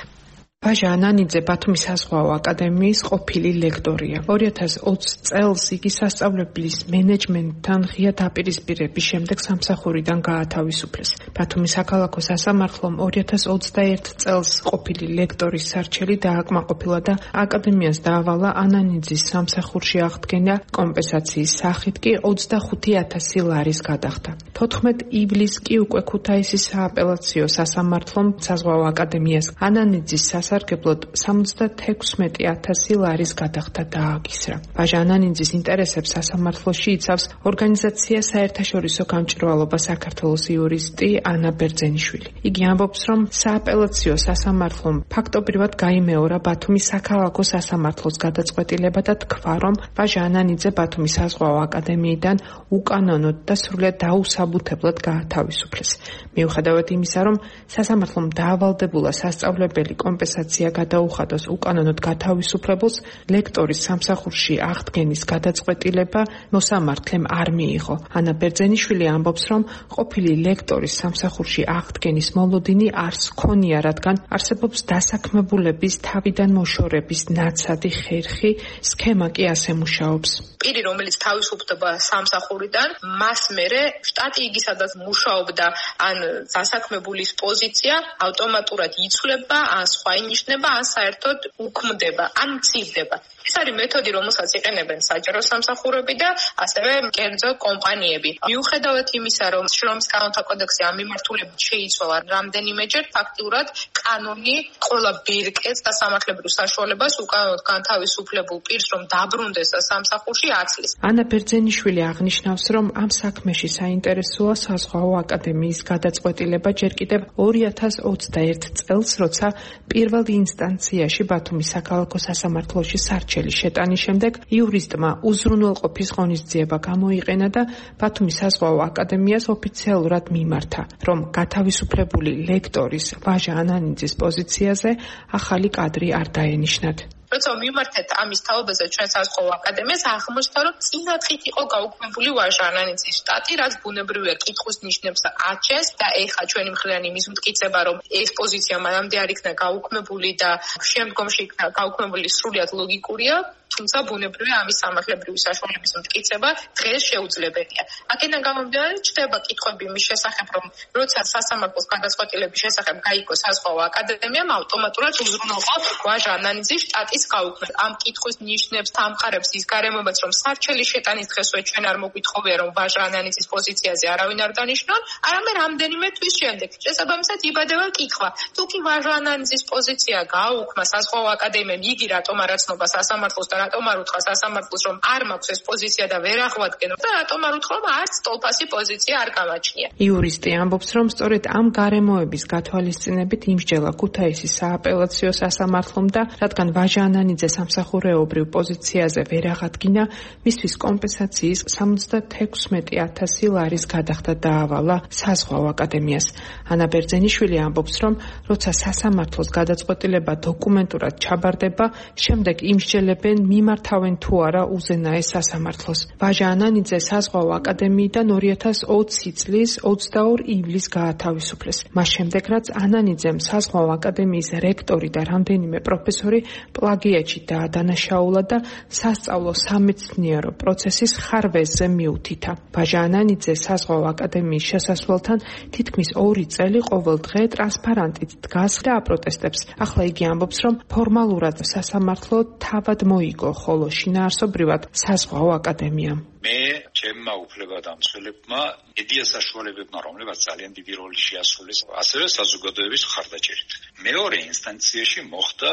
ვაჟა ანანიძე ბათუმის საზღვაო აკადემიის ყოფილი ლექტორია. ორი ათას ოცი წელს იგი სასწავლებლის მენეჯმენტთან ღია დაპირისპირების შემდეგ სამსახურიდან გაათავისუფლეს. ბათუმის საქალაქო სასამართლომ ორი ათას ოცდაერთი წელს ყოფილი ლექტორის სარჩელი დააკმაყოფილა და აკადემიას დაავალა ანანიძის სამსახურში აღდგენა, კომპენსაციის სახით კი ოცდახუთი ათასი ლარის გადახდა. თოთხმეტი ივლისს კი უკვე ქუთაისის სააპელაციო სასამართლომ საზღვაო აკადემიას ანანიძის სასარგებლოდ სამოცდათექვსმეტი ათასი ლარის გადახდა დააკისრა. ვაჟა ანანიძის ინტერესებს სასამართლოში იცავს ორგანიზაცია საერთაშორისო გამჭვირვალობა საქართველოს იურისტი ანა ბერძენიშვილი. იგი ამბობს, რომ სააპელაციო სასამართლომ ფაქტობრივად გაიმეორა ბათუმის საქალაქო სასამართლოს გადაწყვეტილება და თქვა, რომ ვაჟა ანანიძე ბათუმის საზღვაო აკადემიიდან უკანონოდ და სრულად დაუსაბუთებლად გაათავისუფლეს. მიუხედავად იმისა, რომ სასამართლომ დაავალდებულა სასწავლებელი კომპენსაცია გადაუხადოს უკანონოდ გათავისუფლებულს, ლექტორის სამსახურში აღდგენის გადაწყვეტილება მოსამართლემ არ მიიღო. ანა ბერძენიშვილი ამბობს, რომ ყოფილი ლექტორის სამსახურში აღდგენის მოლოდინი არს ქონია, რადგან არსებობს დასაქმებულების თავიდან მოშორების ნაცადი ხერხი, სქემა კი ასე მუშაობს. პირი, რომელიც თავისუფლდება სამსახურიდან, მას მერე შტატი იგი სადაც მუშაობდა, ან დასაქმებულის პოზიცია ავტომატურად იცვლება, ან სხვა ინიშნება, ან საერთოდ უქმდება, ან მცირდება. ეს არის მეთოდი, რომელსაც იყენებენ საჯარო სამსახურები და ასევე კერძო კომპანიები. მიუხედავად იმისა, რომ შრომის კანონთა კოდექსი ამ მიმართულებით შეიცვალა რამდენიმეჯერ, ფაქტიურად კანონი ყველა ბირკეთს და სამართლებრივ საშუალებას უკანონოდ განთავისუფლებულ პირს, რომ დაბრუნდეს სამსახურში აცლის. ანა ბერძენიშვილი აღნიშნავს, რომ ამ საქმეში საინტერესოა საზღვაო აკადემიის გადაწყვეტილება ჯერ კიდევ ორი ათას ოცდაერთ წელს, როცა პირველ ინსტანციაში ბათუმის საქალაქო სასამართლოში სარჩელი შეტანის შემდეგ იურისტმა უზრუნველყოფის ღონისძიება გამოიყენა და ბათუმის საზღვაო აკადემიას ოფიციალურად მიმართა, რომ გათავისუფლებული ლექტორის ვაჟა ანანიძის პოზიციაზე ახალი კადრი არ დაენიშნათ. როცა მიმართეთ ამის თაობაზე ჩვენ საზღვაო აკადემიას, აღმოჩნდა, რომ წინათით იყო გაუქმებული ვაჟა ანანიძის შტატი, რაც ბუნებრივია კითხვის ნიშნებს აჩენს და ეხლა ჩვენი მხრიდან იმის მტკიცება, რომ ეს პოზიცია მანამდე არ იქნა გაუქმებული და შემდგომში იქნა გაუქმებული, სრულიად ლოგიკურია. თუმცა ბუნებრივია ამის სამართლებრივი საშუალების მტკიცება დღეს შეუძლებელია. აქედან გამომდინარე ჩდება კითხვები იმის შესახებ, რომ როცა სასამართლოს გადაწყვეტილების შესახებ გაიგო საზღვაო აკადემიამ, ავტომატურად უზრუნველყო ვაჟა ანანიძის შტატის გაუქმება. ამ კითხვის ნიშნებს ამყარებს ის გარემოებაც, რომ სარჩელი შეტანის დღესვე ჩვენ არ მოგვითხოვია, რომ ვაჟა ანანიძის პოზიციაზე არავინ არ დანიშნონ, არამედ რამდენიმე თვის შემდეგ. შესაბამისად იბადება კითხვა, თუ კი ვაჟა ანანიძის პოზიცია გააუქმა საზღვაო აკადემიამ, იგი რატომ არ აცნობა სასამართლოს და რატომ არ უთხრა სასამართლოს, რომ არ მაქვს ეს პოზიცია და ვერ აღვადგენო და რატომ არ უთხრა, რომ არც ტოლფასი პოზიცია არ გამაჩნია. იურისტი ამბობს, რომ სწორედ ამ გარემოების გათვალისწინებით იმსჯელა ქუთაისის სააპელაციო სასამართლომ და რადგან ვაჟა ანანიძე სამსახურეობრივ პოზიციაზე ვერ აღადგინა, მისთვის კომპენსაციის სამოცდათექვსმეტი ათასი ლარის გადახდა დაავალა საზღვაო აკადემიას. ანა ბერძენიშვილი ამბობს, რომ როცა სასამართლოს გადაწყვეტილება დოკუმენტურად ჩაბარდება, შემდეგ იმსჯელებენ მიმართავენ თუ არა უზენაეს სასამართლოს. ვაჟა ანანიძე საზღვაო აკადემიიდან ორი ათას ოცი წლის ოცდაორ ივლისს გაათავისუფლეს. მას შემდეგ, რაც ანანიძემ საზღვაო აკადემიის რექტორი და რამდენიმე პროფესორი პლაგიატში დაადანაშაულა და სასწავლო სამეცნიერო პროცესის ხარვეზზე მიუთითა. ვაჟა ანანიძე საზღვაო აკადემიის შესასვლელთან თითქმის ორი წელი ყოველ დღე ტრანსპარანტით დგას და აპროტესტებს. ახლა იგი ამბობს, რომ ფორმალურად სასამართლო თავად მოიგო, ხოლო შინაარსობრივად საზღვაო აკადემიამ. მე ჩემმა უფლებადამცველებმა ედია საშუალებებმა, რომლებაც ძალიან დიდი როლი შეასრულეს, ასევე საზოგადოების მხარდაჭერით. მეორე ინსტანციაში მოხდა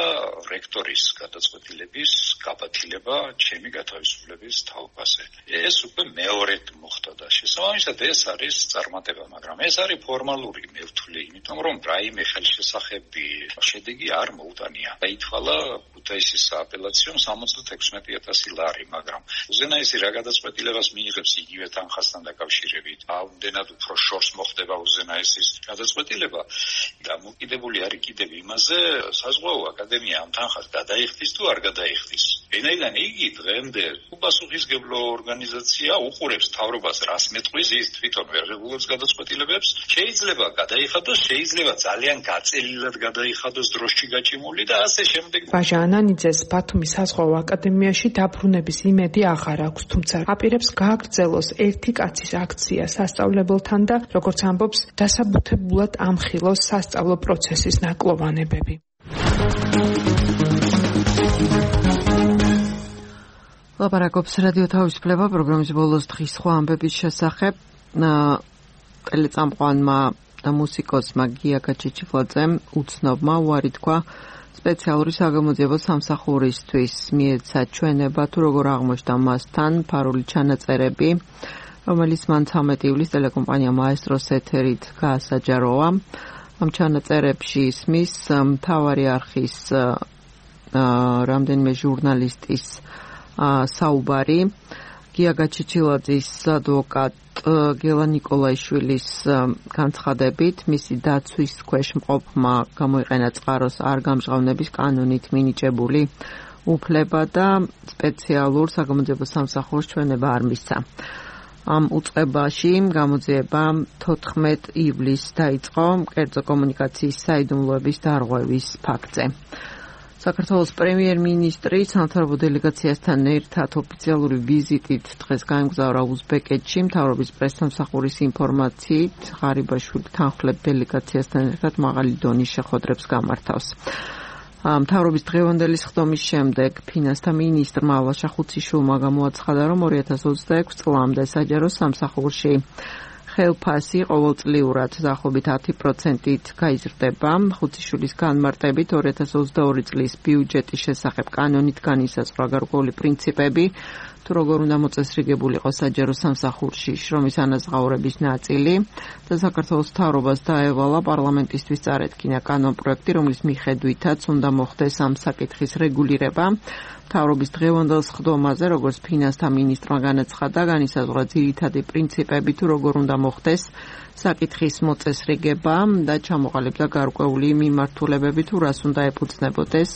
რექტორის გადაწყვეტილების გაბათილება ჩემი გათავისუფლების თაობაზე. ეს უკვე მეორედ მოხდა და შესაბამისად ეს არის წარმატება, მაგრამ ეს არის ფორმალური მევთვლი, იმიტომ რომ რაიმე ხელშესახები შედეგი არ მოუტანია. დაითვალა ქუთაისის სააპელაციომ სამოცდათექვსმეტი ათასი ლარი, მაგრამ უზენაესი რა გადაწყვეტილებას მიიღებს იგივე თანხასთან დაკავშირებით. ამდენად უფრო შორს მოხდება უზენაესის გადაწყვეტილება. დამოკიდებული არის კიდევ იმაზე, საზღვაო აკადემია ამ თანხას გადაიხდის თუ არ გადაიხდის. ვინაიდან იგი დღემდე უპასუხისმგებლო ორგანიზაცია უყურებს მთავრობას, რას მეტყვის, ის თვითონ ვერ რეგულირებს გადაწყვეტილებებს. შეიძლება გადაიხადოს, შეიძლება ძალიან გაწელილად გადაიხადოს დროში გაჭიმული და ასე შემდეგ. ვაჟა ანანიძეს ბათუმის საზღვაო აკადემიაში დაბრუნების იმედი აღარ აქვს, თუმცა აპირებს გააგრძელოს ერთი კაცის აქცია სასწავლებელთან და როგორც ამბობს, დასაბუთებულად ამხილოს სასწავლო პროცესის ნაკლოვანებები. ლაპარაკობს რადიო თავისუფლება პროგრამის ბოლოს დღის სხვა ამბების შესახებ. ტელეწამყვანმა და მუსიკოსმა გია გაჩიჩილაძემ უცნობმა უარი თქვა სპეციალური საგამოძიებო სამსახურისთვის. მიეცა ჩვენება თუ როგორ აღმოჩნდა მასთან ფარული ჩანაწერები, რომელიც მან ცამეტი ივლისს ტელეკომპანია მაესტროს ეთერით გაასაჯაროა. ამ ჩანაწერებში ისმის მთავარი არხის რამდენიმე ჟურნალისტის საუბარი. გია გაჩიჩილაძის ადვოკატ გელა ნიკოლაიშვილის განცხადებით, მისი დაცვის ქვეშ მყოფმა გამოიყენა წყაროს არ გამჟღავნების კანონით მინიჭებული უფლება და სპეციალურ საგამოძიებო სამსახურს ჩვენება არ მისცა. ამ უწყებაში გამოძიება თოთხმეტ ივლისს დაიწყო კერძო კომუნიკაციის საიდუმლოების დარღვევის ფაქტზე. საქართველოს პრემიერ-მინისტრი სამთავრობო დელეგაციასთან ერთად ოფიციალური ვიზიტით დღეს გაემგზავრა უზბეკეთში. მთავრობის პრესსამსახურის ინფორმაციით, ღარიბაშვილი თანხმდელებ დელეგაციასთან ერთად მაღალი დონის შეხვედრებს გამართავს. მთავრობის დღევანდელი სხდომის შემდეგ ფინანსთა მინისტრმა ალაშა ხუციშვილმა გამოაცხადა, რომ ორი ათას ოცდაექვსი წლამდე საჯარო სამსახურში ხელფასი ყოველწლიურად დაახლოებით ათი პროცენტით გაიზრდება. ხუციშვილის განმარტებით ორი ათას ოცდაორი წლის ბიუჯეტის შესახებ კანონით განისაზღვრა გარკვეული პრინციპები, თუ როგორ უნდა მოწესრიგებული იყოს საჯარო სამსახურში შრომის ანაზღაურების ნაწილი და საქართველოს მთავრობას დაევალა პარლამენტისთვის წარეთქინა კანონპროექტი, რომლის მიხედვითაც უნდა მოხდეს ამ საკითხის რეგულირება. მთავრობის დღევანდელ სხდომაზე, როგორც ფინანსთა მინისტრმა განაცხადა, განისაზღვრა ძირითადი პრინციპები, თუ როგორ უნდა მოხდეს საკითხის მოწესრიგება და ჩამოყალიბდა გარკვეული მიმართულებები, თუ რას უნდა ეფუძნებოდეს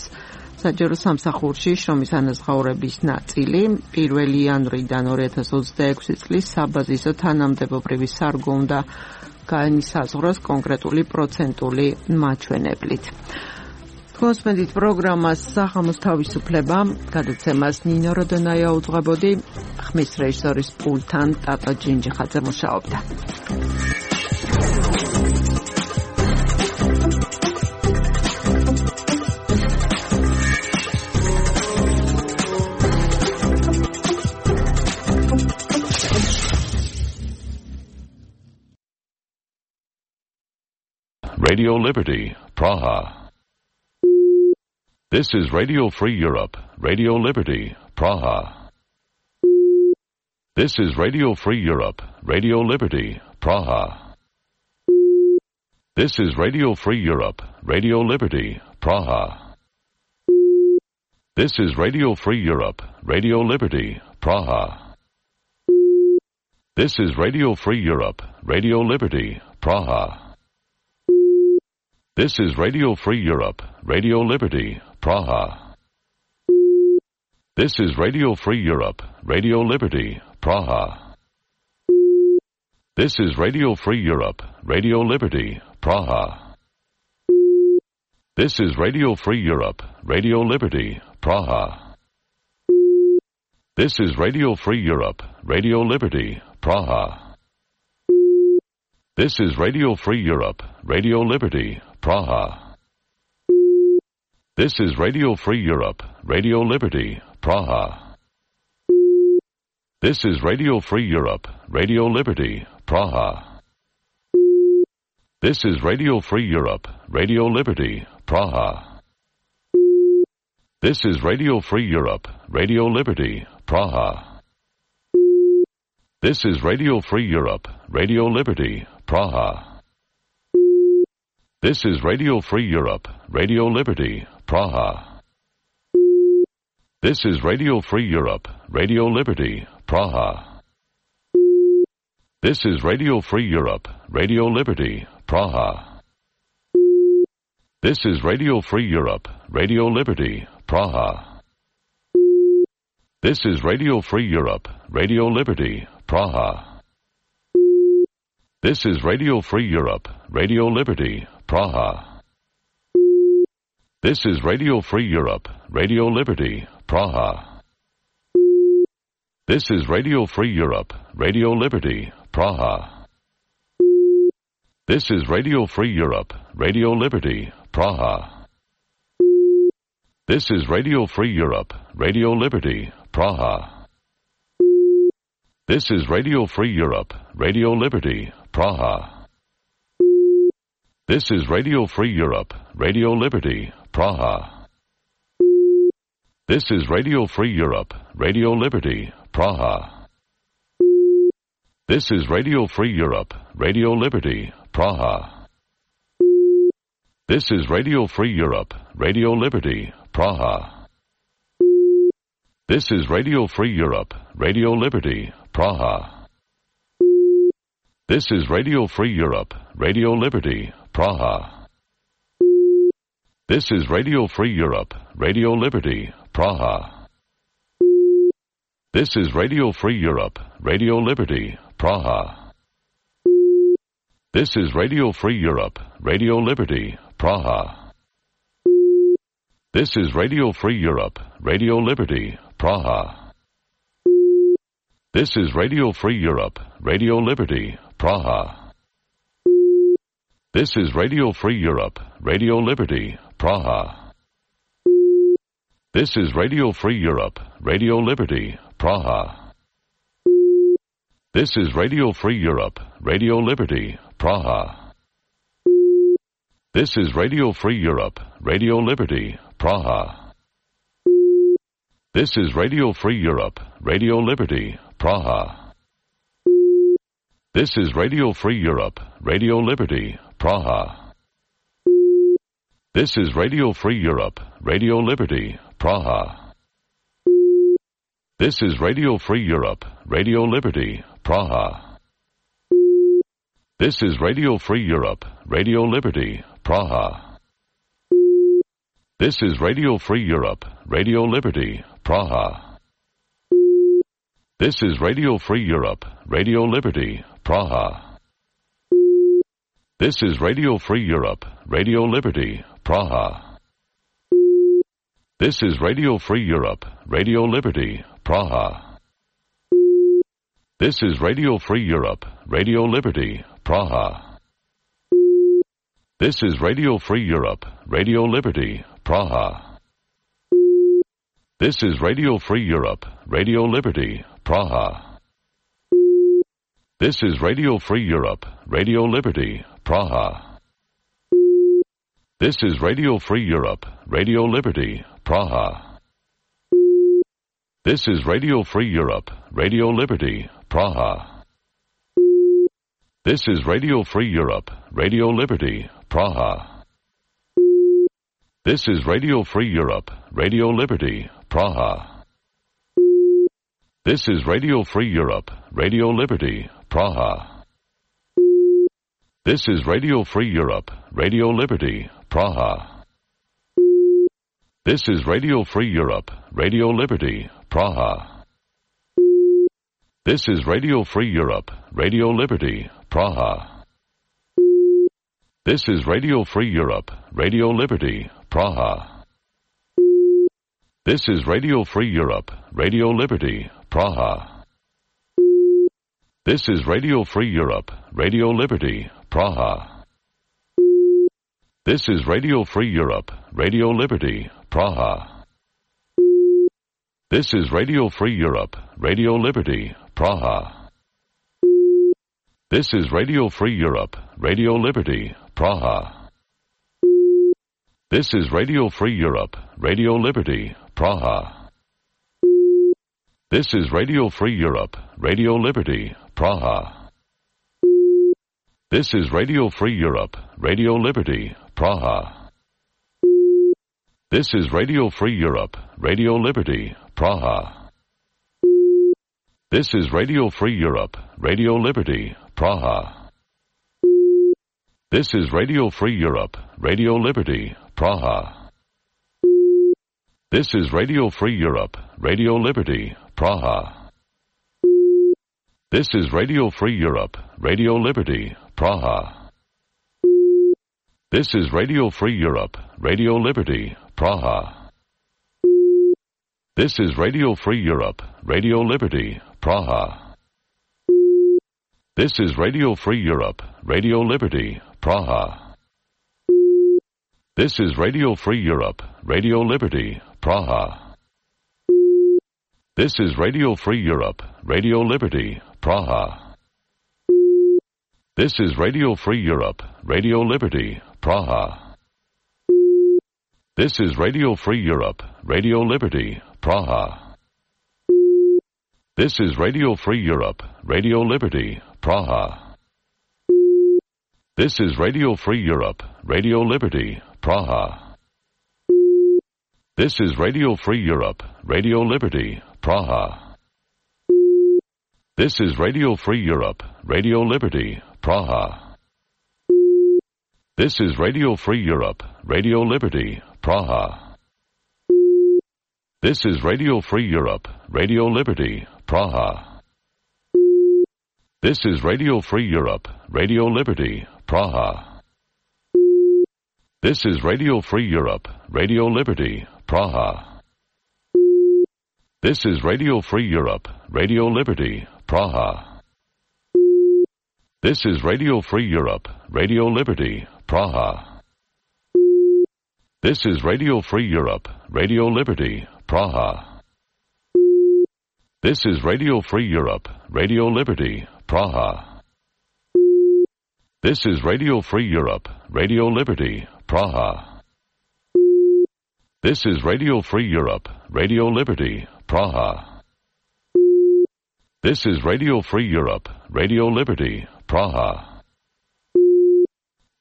საჯარო სამსახურში შრომის ანაზღაურების ნაწილი. პირველი იანვრიდან ორი ათას ოცდაექვსი წლის საბაზისო თანამდებობრივი სარგო უნდა განისაზღვროს კონკრეტული პროცენტული მაჩვენებლით. Kosmedit programmas სახამოს თავისუფლება გადაცემას ნინო როდონაია უძღვებოდი, ხმის რეჟისორის პულტთან ტატო ჯინჯიხაძე მუშაობდა. Radio Liberty, Praha. This is Radio Free Europe, Radio Liberty, Praha. This is Radio Free Europe, Radio Liberty, Praha. This is Radio Free Europe, Radio Liberty, Praha. This is Radio Free Europe, Radio Liberty, Praha. This is Radio Free Europe, Radio Liberty, Praha. This is Radio Free Europe, Radio Liberty, Praha. This is Radio Free Europe, Radio Liberty, Praha. This is Radio Free Europe, Radio Liberty, Praha. This is Radio Free Europe, Radio Liberty, Praha. This is Radio Free Europe, Radio Liberty, Praha. This is Radio Free Europe, Radio Liberty, Praha. This is Radio Free Europe, Radio Liberty, Praha. This is Radio Free Europe, Radio Liberty, Praha. This is Radio Free Europe, Radio Liberty, Praha. This is Radio Free Europe, Radio Liberty, Praha. This is Radio Free Europe, Radio Liberty, Praha. This is Radio Free Europe, Radio Liberty, Praha. This is Radio Free Europe, Radio Liberty, Praha. This is Radio Free Europe, Radio Liberty, Praha. This is Radio Free Europe, Radio Liberty, Praha. This is Radio Free Europe, Radio Liberty, Praha. This is Radio Free Europe, Radio Liberty, Praha. This is Radio Free Europe, Radio Liberty, Praha. This is Radio Free Europe, Radio Liberty, Praha. This is Radio Free Europe, Radio Liberty, Praha. This is Radio Free Europe, Radio Liberty, Praha. This is Radio Free Europe, Radio Liberty, Praha. This is Radio Free Europe, Radio Liberty, Praha. This is Radio Free Europe, Radio Liberty, Praha. This is Radio Free Europe, Radio Liberty, Praha. This is Radio Free Europe, Radio Liberty, Praha. This is Radio Free Europe, Radio Liberty, Praha. This is Radio Free Europe, Radio Liberty, Praha. This is Radio Free Europe, Radio Liberty, Praha. This is Radio Free Europe, Radio Liberty, Praha. This is Radio Free Europe, Radio Liberty, Praha. This is Radio Free Europe, Radio Liberty, Praha. This is Radio Free Europe, Radio Liberty, Praha. This is Radio Free Europe, Radio Liberty, Praha. This is Radio Free Europe, Radio Liberty, Praha. This is Radio Free Europe, Radio Liberty, Praha. This is Radio Free Europe, Radio Liberty, Praha. This is Radio Free Europe, Radio Liberty, Praha. This is Radio Free Europe, Radio Liberty, Praha. This is Radio Free Europe, Radio Liberty, Praha. This is Radio Free Europe, Radio Liberty, Praha. This is Radio Free Europe, Radio Liberty, Praha. This is Radio Free Europe, Radio Liberty, Praha. This is Radio Free Europe, Radio Liberty, Praha. This is Radio Free Europe, Radio Liberty, Praha. This is Radio Free Europe, Radio Liberty, Praha. This is Radio Free Europe, Radio Liberty, Praha. This is Radio Free Europe, Radio Liberty, Praha. This is Radio Free Europe, Radio Liberty, Praha. This is Radio Free Europe, Radio Liberty, Praha. This is Radio Free Europe, Radio Liberty, Praha. This is Radio Free Europe, Radio Liberty, Praha. This is Radio Free Europe, Radio Liberty, Praha. This is Radio Free Europe, Radio Liberty, Praha. This is Radio Free Europe, Radio Liberty, Praha. This is Radio Free Europe, Radio Liberty, Praha. This is Radio Free Europe, Radio Liberty, Praha. This is Radio Free Europe, Radio Liberty, Praha. This is Radio Free Europe, Radio Liberty, Praha. This is Radio Free Europe, Radio Liberty, Praha. This is Radio Free Europe, Radio Liberty, Praha. This is Radio Free Europe, Radio Liberty, Praha. This is Radio Free Europe, Radio Liberty, Praha. This is Radio Free Europe, Radio Liberty, Praha. This is Radio Free Europe, Radio Liberty, Praha. This is Radio Free Europe, Radio Liberty, Praha. This is Radio Free Europe, Radio Liberty, Praha. This is Radio Free Europe, Radio Liberty, Praha. This is Radio Free Europe, Radio Liberty, Praha. This is Radio Free Europe, Radio Liberty, Praha. This is Radio Free Europe, Radio Liberty, Praha. This is Radio Free Europe, Radio Liberty, Praha. This is Radio Free Europe, Radio Liberty, Praha. This is Radio Free Europe, Radio Liberty, Praha. This is Radio Free Europe, Radio Liberty, Praha. This is Radio Free Europe, Radio Liberty, Praha. This is Radio Free Europe, Radio Liberty, Praha. This is Radio Free Europe, Radio Liberty, Praha. This is Radio Free Europe, Radio Liberty, Praha. This is Radio Free Europe, Radio Liberty, Praha. This is Radio Free Europe, Radio Liberty, Praha. This is Radio Free Europe, Radio Liberty, Praha. This is Radio Free Europe, Radio Liberty, Praha. This is Radio Free Europe, Radio Liberty, Praha. This is Radio Free Europe, Radio Liberty, Praha. This is Radio Free Europe, Radio Liberty, Praha. This is Radio Free Europe, Radio Liberty, Praha. This is Radio Free Europe, Radio Liberty, Praha. This is Radio Free Europe, Radio Liberty, Praha. This is Radio Free Europe, Radio Liberty, Praha. This is Radio Free Europe, Radio Liberty, Praha. This is Radio Free Europe, Radio Liberty, Praha. This is Radio Free Europe, Radio Liberty, Praha. This is Radio Free Europe, Radio Liberty, Praha.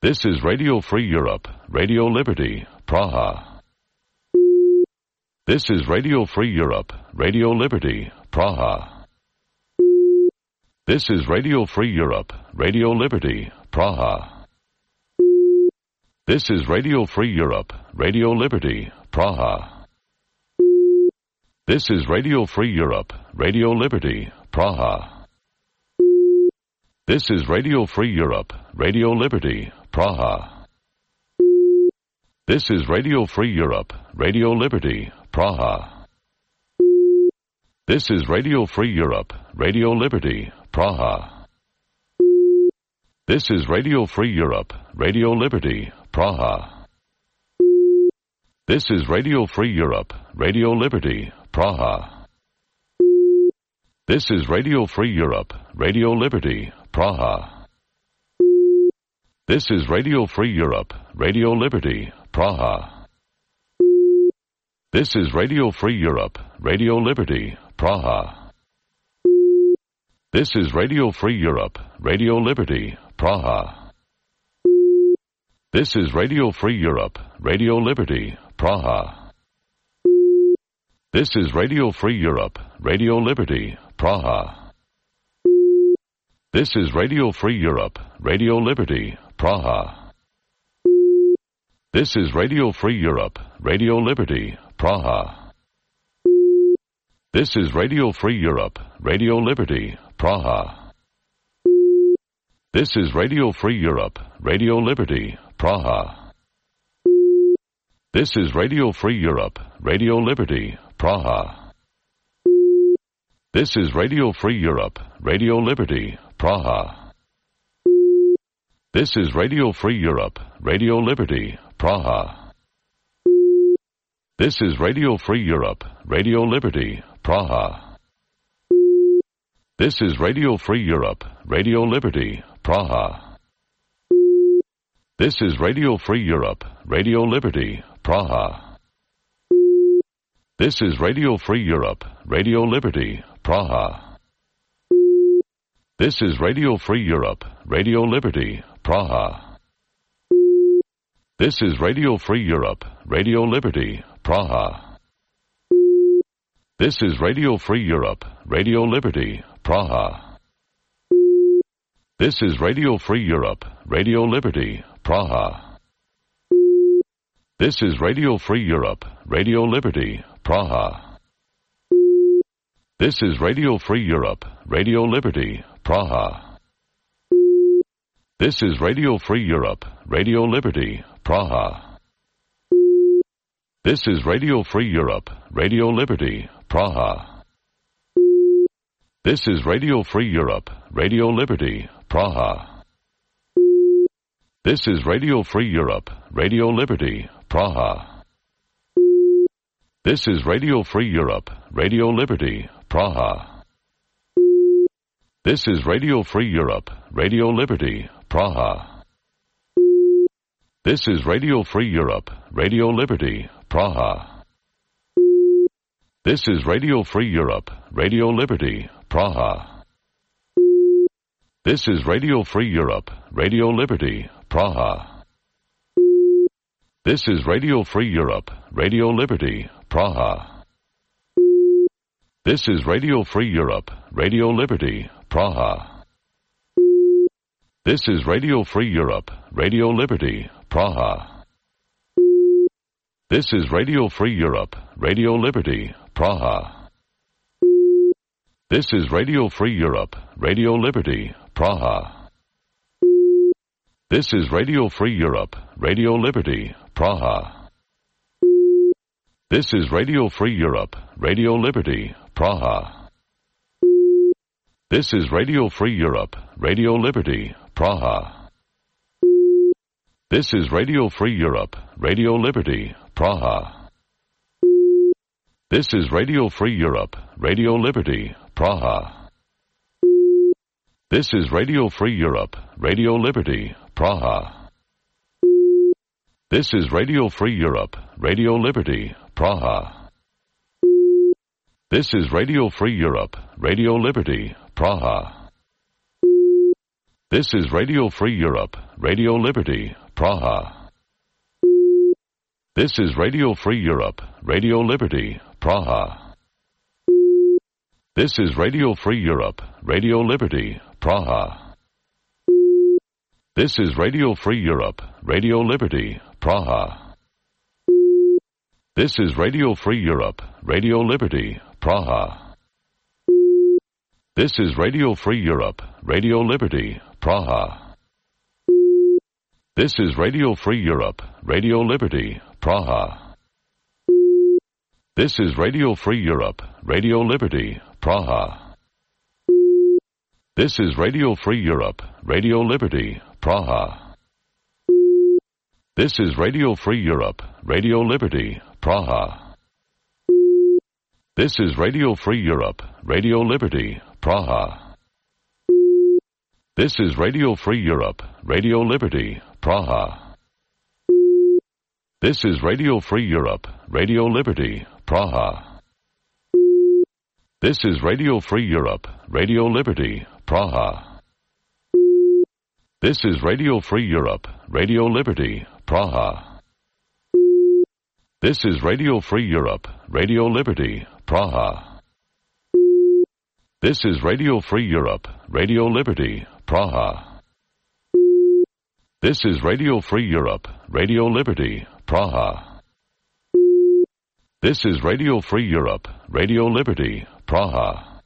This is Radio Free Europe, Radio Liberty, Praha. This is Radio Free Europe, Radio Liberty, Praha. This is Radio Free Europe, Radio Liberty, Praha. This is Radio Free Europe, Radio Liberty, Praha. This is Radio Free Europe, Radio Liberty, Praha. This is Radio Free Europe, Radio Liberty, Praha. This is Radio Free Europe, Radio Liberty, Praha. This is Radio Free Europe, Radio Liberty, Praha. This is Radio Free Europe, Radio Liberty, Praha. This is Radio Free Europe, Radio Liberty, Praha. This is Radio Free Europe, Radio Liberty, Praha. This is Radio Free Europe, Radio Liberty, Praha. This is Radio Free Europe, Radio Liberty, Praha. This is Radio Free Europe, Radio Liberty, Praha. This is Radio Free Europe, Radio Liberty, Praha. This is Radio Free Europe, Radio Liberty, Praha. This is Radio Free Europe, Radio Liberty, Praha. This is Radio Free Europe, Radio Liberty, Praha. This is Radio Free Europe, Radio Liberty, Praha. This is Radio Free Europe, Radio Liberty, Praha. This is Radio Free Europe, Radio Liberty, Praha. This is Radio Free Europe, Radio Liberty, Praha. This is Radio Free Europe, Radio Liberty, Praha. This is Radio Free Europe, Radio Liberty, Praha. This is Radio Free Europe, Radio Liberty, Praha. This is Radio Free Europe, Radio Liberty, Praha. This is Radio Free Europe, Radio Liberty, Praha. This is Radio Free Europe, Radio Liberty, Praha. This is Radio Free Europe, Radio Liberty, Praha. This is Radio Free Europe, Radio Liberty, Praha. This is Radio Free Europe, Radio Liberty, Praha. This is Radio Free Europe, Radio Liberty, Praha. This is Radio Free Europe, Radio Liberty, Praha. This is Radio Free Europe, Radio Liberty, Praha. This is Radio Free Europe, Radio Liberty, Praha. This is Radio Free Europe, Radio Liberty, Praha. This is Radio Free Europe, Radio Liberty, Praha. This is Radio Free Europe, Radio Liberty, Praha. This is Radio Free Europe, Radio Liberty, Praha. This is Radio Free Europe, Radio Liberty, Praha. This is Radio Free Europe, Radio Liberty, Praha. This is Radio Free Europe, Radio Liberty, Praha. This is Radio Free Europe, Radio Liberty, Praha. This is Radio Free Europe, Radio Liberty, Praha. This is Radio Free Europe, Radio Liberty, Praha. This is Radio Free Europe, Radio Liberty, Praha. This is Radio Free Europe, Radio Liberty, Praha. This is Radio Free Europe, Radio Liberty, Praha. This is Radio Free Europe, Radio Liberty, Praha. This is Radio Free Europe, Radio Liberty, Praha. This is Radio Free Europe, Radio Liberty, Praha. This is Radio Free Europe, Radio Liberty, Praha. This is Radio Free Europe, Radio Liberty, Praha. This is Radio Free Europe, Radio Liberty, Praha. This is Radio Free Europe, Radio Liberty, Praha. This is Radio Free Europe, Radio Liberty, Praha. This is Radio Free Europe, Radio Liberty, Praha. This is Radio Free Europe, Radio Liberty, Praha. This is Radio Free Europe, Radio Liberty, Praha. This is Radio Free Europe, Radio Liberty, Praha. This is Radio Free Europe, Radio Liberty, Praha. This is Radio Free Europe, Radio Liberty, Praha. This is Radio Free Europe, Radio Liberty, Praha. This is Radio Free Europe, Radio Liberty, Praha. This is Radio Free Europe, Radio Liberty, Praha. This is Radio Free Europe, Radio Liberty, Praha. This is Radio Free Europe, Radio Liberty, Praha. This is Radio Free Europe, Radio Liberty, Praha. This is Radio Free Europe, Radio Liberty, Praha. This is Radio Free Europe, Radio Liberty, Praha. This is Radio Free Europe, Radio Liberty, Praha. This is Radio Free Europe, Radio Liberty, Praha. This is Radio Free Europe, Radio Liberty, Praha. This is Radio Free Europe, Radio Liberty, Praha.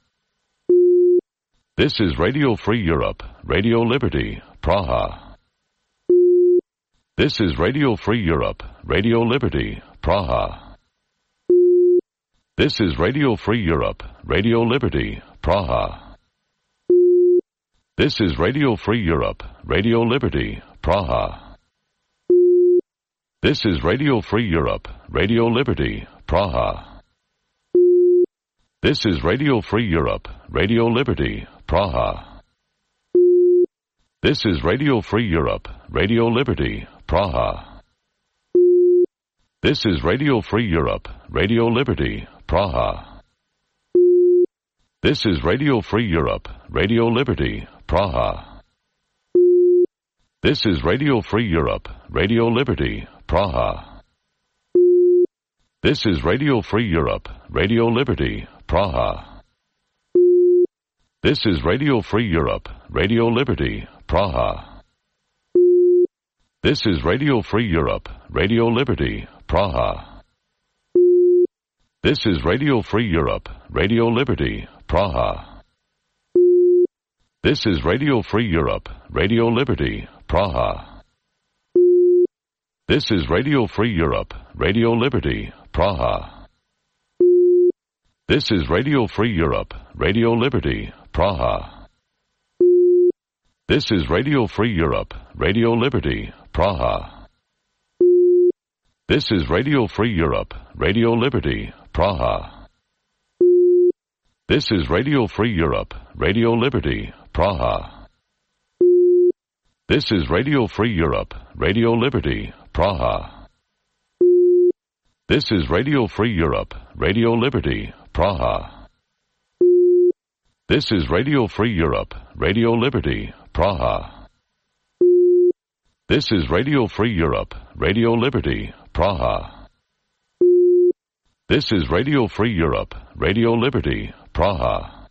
This is Radio Free Europe, Radio Liberty, Praha. This is Radio Free Europe, Radio Liberty, Praha. This is Radio Free Europe, Radio Liberty, Praha. This is Radio Free Europe, Radio Liberty, Praha. This is Radio Free Europe, Radio Liberty, Praha. This is Radio Free Europe, Radio Liberty, Praha. This is Radio Free Europe, Radio Liberty, Praha. This is Radio Free Europe, Radio Liberty, Praha. This is Radio Free Europe, Radio Liberty, Praha. This is Radio Free Europe, Radio Liberty, Praha. This is Radio Free Europe, Radio Liberty, Praha. This is Radio Free Europe, Radio Liberty, Praha. This is Radio Free Europe, Radio Liberty, Praha. This is Radio Free Europe, Radio Liberty, Praha. This is Radio Free Europe, Radio Liberty, Praha. This is Radio Free Europe, Radio Liberty, Praha. This is Radio Free Europe, Radio Liberty, Praha. This is Radio Free Europe, Radio Liberty, Praha. This is Radio Free Europe, Radio Liberty, Praha. This is Radio Free Europe, Radio Liberty, Praha. This is Radio Free Europe, Radio Liberty, Praha. This is Radio Free Europe, Radio Liberty, Praha. This is Radio Free Europe, Radio Liberty, Praha. This is Radio Free Europe, Radio Liberty, Praha. This is Radio Free Europe, Radio Liberty, Praha.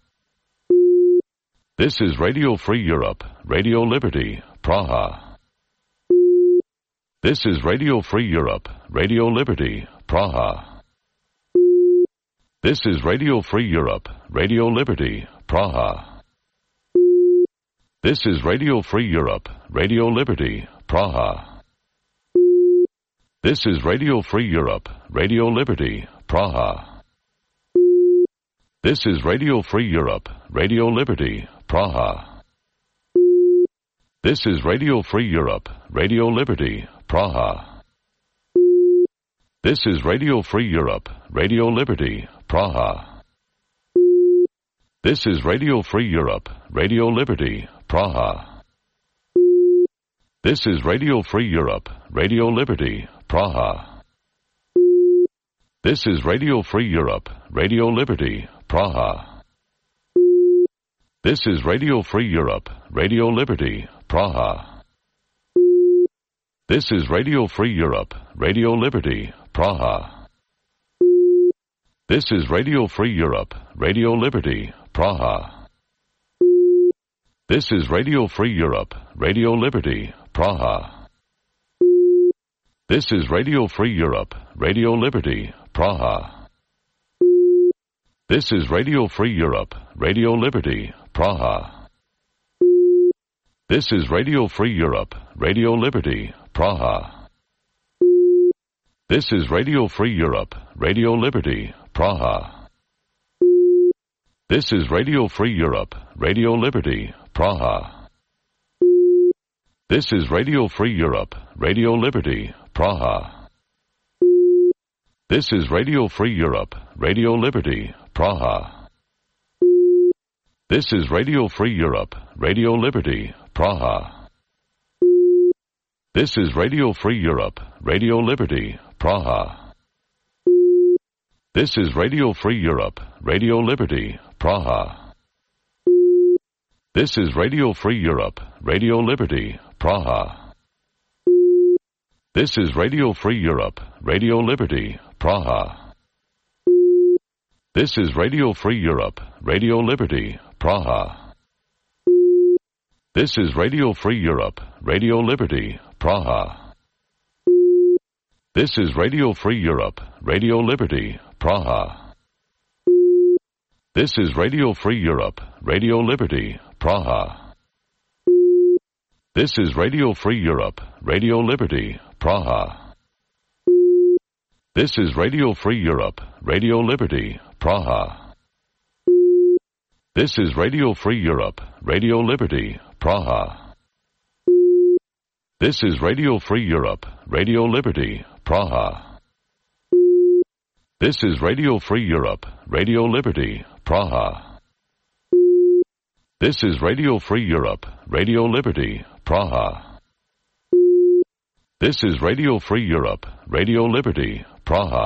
This is Radio Free Europe, Radio Liberty, Praha. This is Radio Free Europe, Radio Liberty, Praha. This is Radio Free Europe, Radio Liberty, Praha. This is Radio Free Europe, Radio Liberty, Praha. This is Radio Free Europe, Radio Liberty, Praha. This is Radio Free Europe, Radio Liberty, Praha. This is Radio Free Europe, Radio Liberty, Praha. This is Radio Free Europe, Radio Liberty, Praha. This is Radio Free Europe, Radio Liberty, Praha. This is Radio Free Europe, Radio Liberty, Praha. This is Radio Free Europe, Radio Liberty, Praha. This is Radio Free Europe, Radio Liberty, Praha. This is Radio Free Europe, Radio Liberty, Praha. This is Radio Free Europe, Radio Liberty, Praha. This is Radio Free Europe, Radio Liberty, Praha. This is Radio Free Europe, Radio Liberty, Praha. This is Radio Free Europe, Radio Liberty, Praha. This is Radio Free Europe, Radio Liberty, Praha. This is Radio Free Europe, Radio Liberty, Praha. This is Radio Free Europe, Radio Liberty, Praha. This is Radio Free Europe, Radio Liberty, Praha. This is Radio Free Europe, Radio Liberty, Praha. This is Radio Free Europe, Radio Liberty, Praha. This is Radio Free Europe, Radio Liberty, Praha. This is Radio Free Europe, Radio Liberty, Praha. This is Radio Free Europe, Radio Liberty, Praha. This is Radio Free Europe, Radio Liberty, Praha. This is Radio Free Europe, Radio Liberty, Praha. This is Radio Free Europe, Radio Liberty, Praha. This is Radio Free Europe, Radio Liberty, Praha. This is Radio Free Europe, Radio Liberty, Praha. This is Radio Free Europe, Radio Liberty, Praha. This is Radio Free Europe, Radio Liberty, Praha. This is Radio Free Europe, Radio Liberty, Praha. This is Radio Free Europe, Radio Liberty, Praha. This is Radio Free Europe, Radio Liberty, Praha. This is Radio Free Europe, Radio Liberty, Praha. This is Radio Free Europe, Radio Liberty, Praha.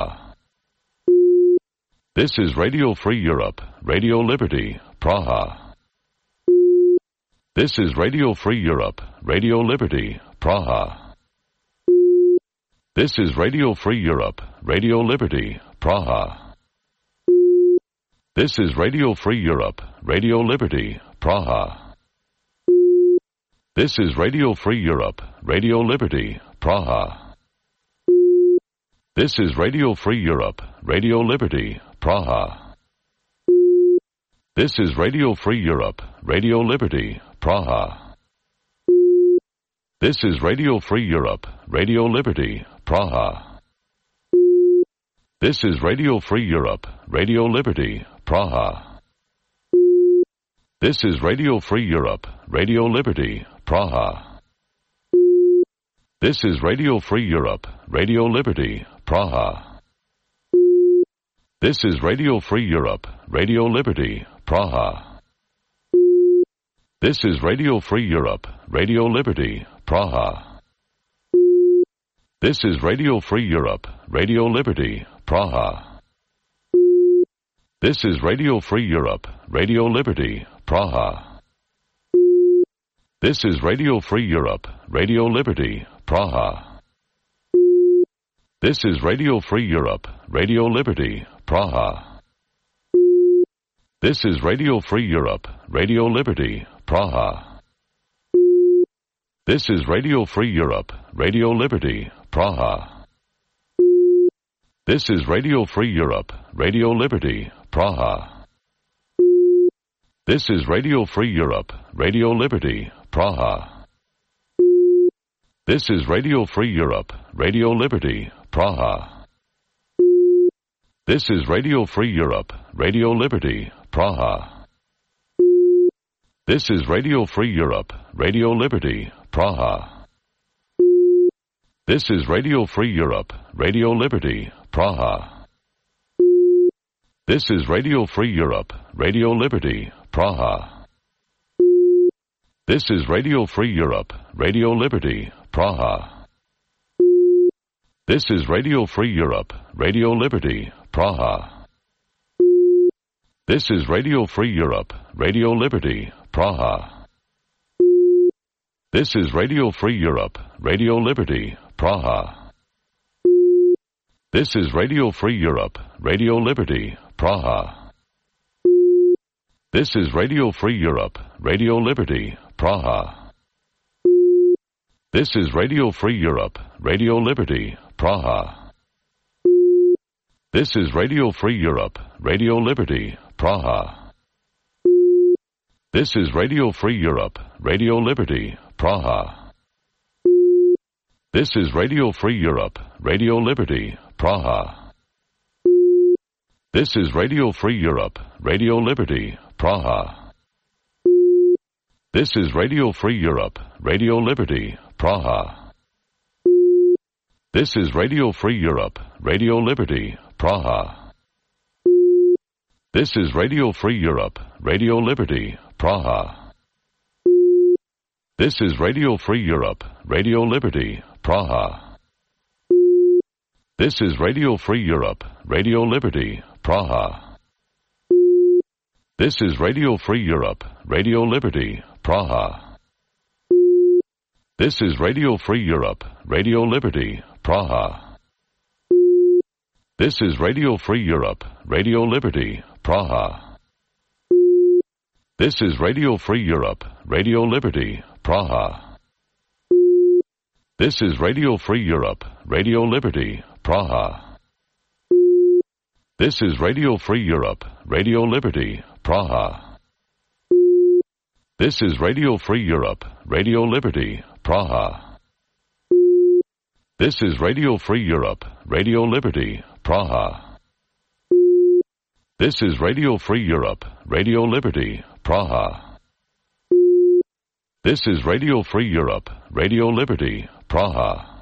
This is Radio Free Europe, Radio Liberty, Praha. This is Radio Free Europe, Radio Liberty, Praha. This is Radio Free Europe, Radio Liberty, Praha. This is Radio Free Europe, Radio Liberty, Praha. This is Radio Free Europe, Radio Liberty, Praha. This is Radio Free Europe, Radio Liberty, Praha. This is Radio Free Europe, Radio Liberty, Praha. This is Radio Free Europe, Radio Liberty, Praha. This is Radio Free Europe, Radio Liberty, Praha. This is Radio Free Europe, Radio Liberty, Praha. This is Radio Free Europe, Radio Liberty, Praha. This is Radio Free Europe, Radio Liberty, Praha. This is Radio Free Europe, Radio Liberty, Praha. This is Radio Free Europe, Radio Liberty, Praha. This is Radio Free Europe, Radio Liberty, Praha. This is Radio Free Europe, Radio Liberty, Praha. This is Radio Free Europe, Radio Liberty, Praha. This is Radio Free Europe, Radio Liberty, Praha. This is Radio Free Europe, Radio Liberty, Praha. This is Radio Free Europe, Radio Liberty, Praha. This is Radio Free Europe, Radio Liberty, Praha. This is Radio Free Europe, Radio Liberty, Praha. This is Radio Free Europe, Radio Liberty, Praha. This is Radio Free Europe, Radio Liberty, Praha. This is Radio Free Europe, Radio Liberty, Praha. This is Radio Free Europe, Radio Liberty, Praha. This is Radio Free Europe, Radio Liberty, Praha. This is Radio Free Europe, Radio Liberty, Praha. This is Radio Free Europe, Radio Liberty, Praha. This is Radio Free Europe, Radio Liberty, Praha. This is Radio Free Europe, Radio Liberty, Praha. This is Radio Free Europe, Radio Liberty, Praha. This is Radio Free Europe, Radio Liberty, Praha. This is Radio Free Europe, Radio Liberty, Praha. This is Radio Free Europe, Radio Liberty, Praha. This is Radio Free Europe, Radio Liberty, Praha. This is Radio Free Europe, Radio Liberty, Praha. This is Radio Free Europe, Radio Liberty, Praha. This is Radio Free Europe, Radio Liberty, Praha. This is Radio Free Europe, Radio Liberty, Praha. This is Radio Free Europe, Radio Liberty, Praha. This is Radio Free Europe, Radio Liberty, Praha. This is Radio Free Europe, Radio Liberty, Praha. This is Radio Free Europe, Radio Liberty, Praha. This is Radio Free Europe, Radio Liberty, Praha. This is Radio Free Europe, Radio Liberty, Praha. This is Radio Free Europe, Radio Liberty, Praha. This is Radio Free Europe, Radio Liberty, Praha. This is Radio Free Europe, Radio Liberty, Praha. This is Radio Free Europe, Radio Liberty, Praha. This is Radio Free Europe, Radio Liberty, Praha. This is Radio Free Europe, Radio Liberty, Praha.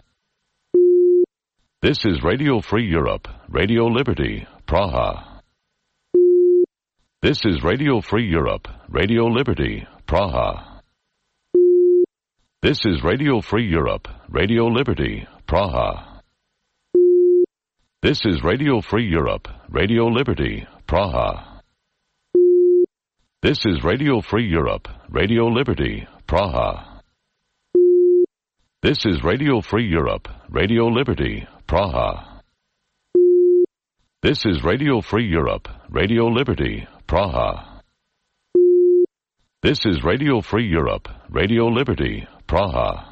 This is Radio Free Europe, Radio Liberty, Praha. This is Radio Free Europe, Radio Liberty, Praha. This is Radio Free Europe, Radio Liberty, Praha. This is Radio Free Europe, Radio Liberty, Praha. This is Radio Free Europe, Radio Liberty, Praha. This is Radio Free Europe, Radio Liberty, Praha. This is Radio Free Europe, Radio Liberty, Praha. This is Radio Free Europe, Radio Liberty, Praha.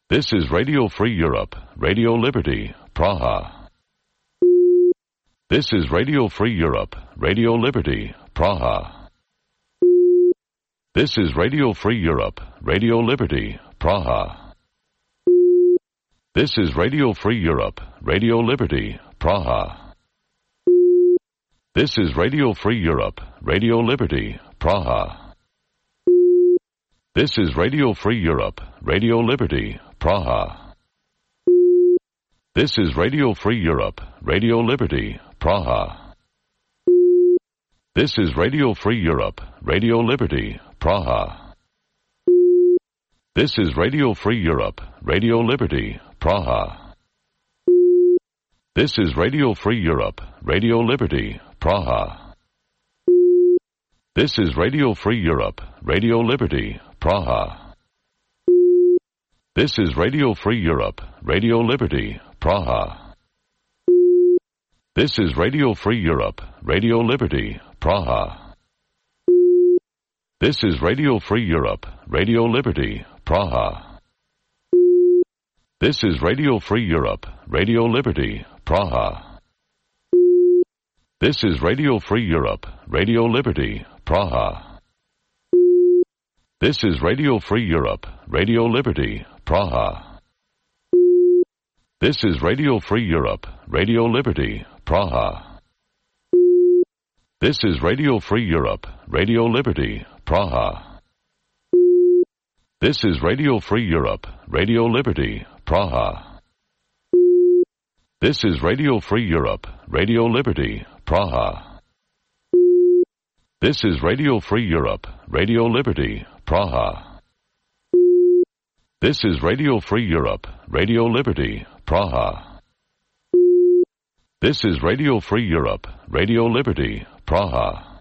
This is Radio Free Europe, Radio Liberty, Praha. This is Radio Free Europe, Radio Liberty, Praha. This is Radio Free Europe, Radio Liberty, Praha. This is Radio Free Europe, Radio Liberty, Praha. This is Radio Free Europe, Radio Liberty, Praha. This is Radio Free Europe, Radio Liberty, Praha. This is Radio Free Europe, Radio Liberty, Praha. This is Radio Free Europe, Radio Liberty, Praha. This is Radio Free Europe, Radio Liberty, Praha. This is Radio Free Europe, Radio Liberty, Praha. This is Radio Free Europe, Radio Liberty, Praha. This is Radio Free Europe, Radio Liberty, Praha. This is Radio Free Europe, Radio Liberty, Praha. This is Radio Free Europe, Radio Liberty, Praha. This is Radio Free Europe, Radio Liberty, Praha. This is Radio Free Europe, Radio Liberty, Praha. This is Radio Free Europe, Radio Liberty, Praha. This is Radio Free Europe, Radio Liberty, Praha. This is Radio Free Europe, Radio Liberty, Praha. This is Radio Free Europe, Radio Liberty, Praha. This is Radio Free Europe, Radio Liberty, Praha. This is Radio Free Europe, Radio Liberty, Praha. This is Radio Free Europe, Radio Liberty, Praha. This is Radio Free Europe, Radio Liberty, Praha.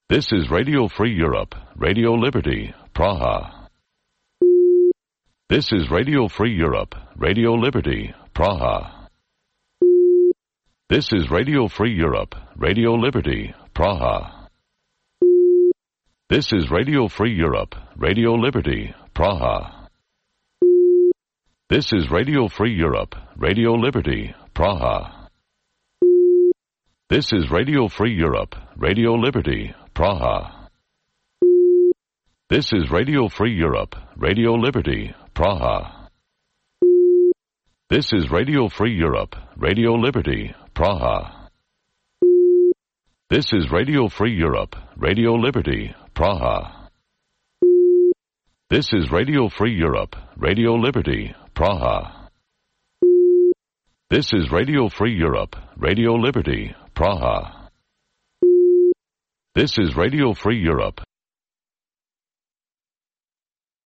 This is Radio Free Europe, Radio Liberty, Praha. This is Radio Free Europe, Radio Liberty, Praha. This is Radio Free Europe, Radio Liberty, Praha. This is Radio Free Europe, Radio Liberty, Praha. This is Radio Free Europe, Radio Liberty, Praha. This is Radio Free Europe, Radio Liberty, Praha. This is Radio Free Europe, Radio Liberty, Praha. This is Radio Free Europe, Radio Liberty, Praha. This is Radio Free Europe, Radio Liberty, Praha. This is Radio Free Europe, Radio Liberty, Praha. This is Radio Free Europe, Radio Liberty, Praha. This is Radio Free Europe,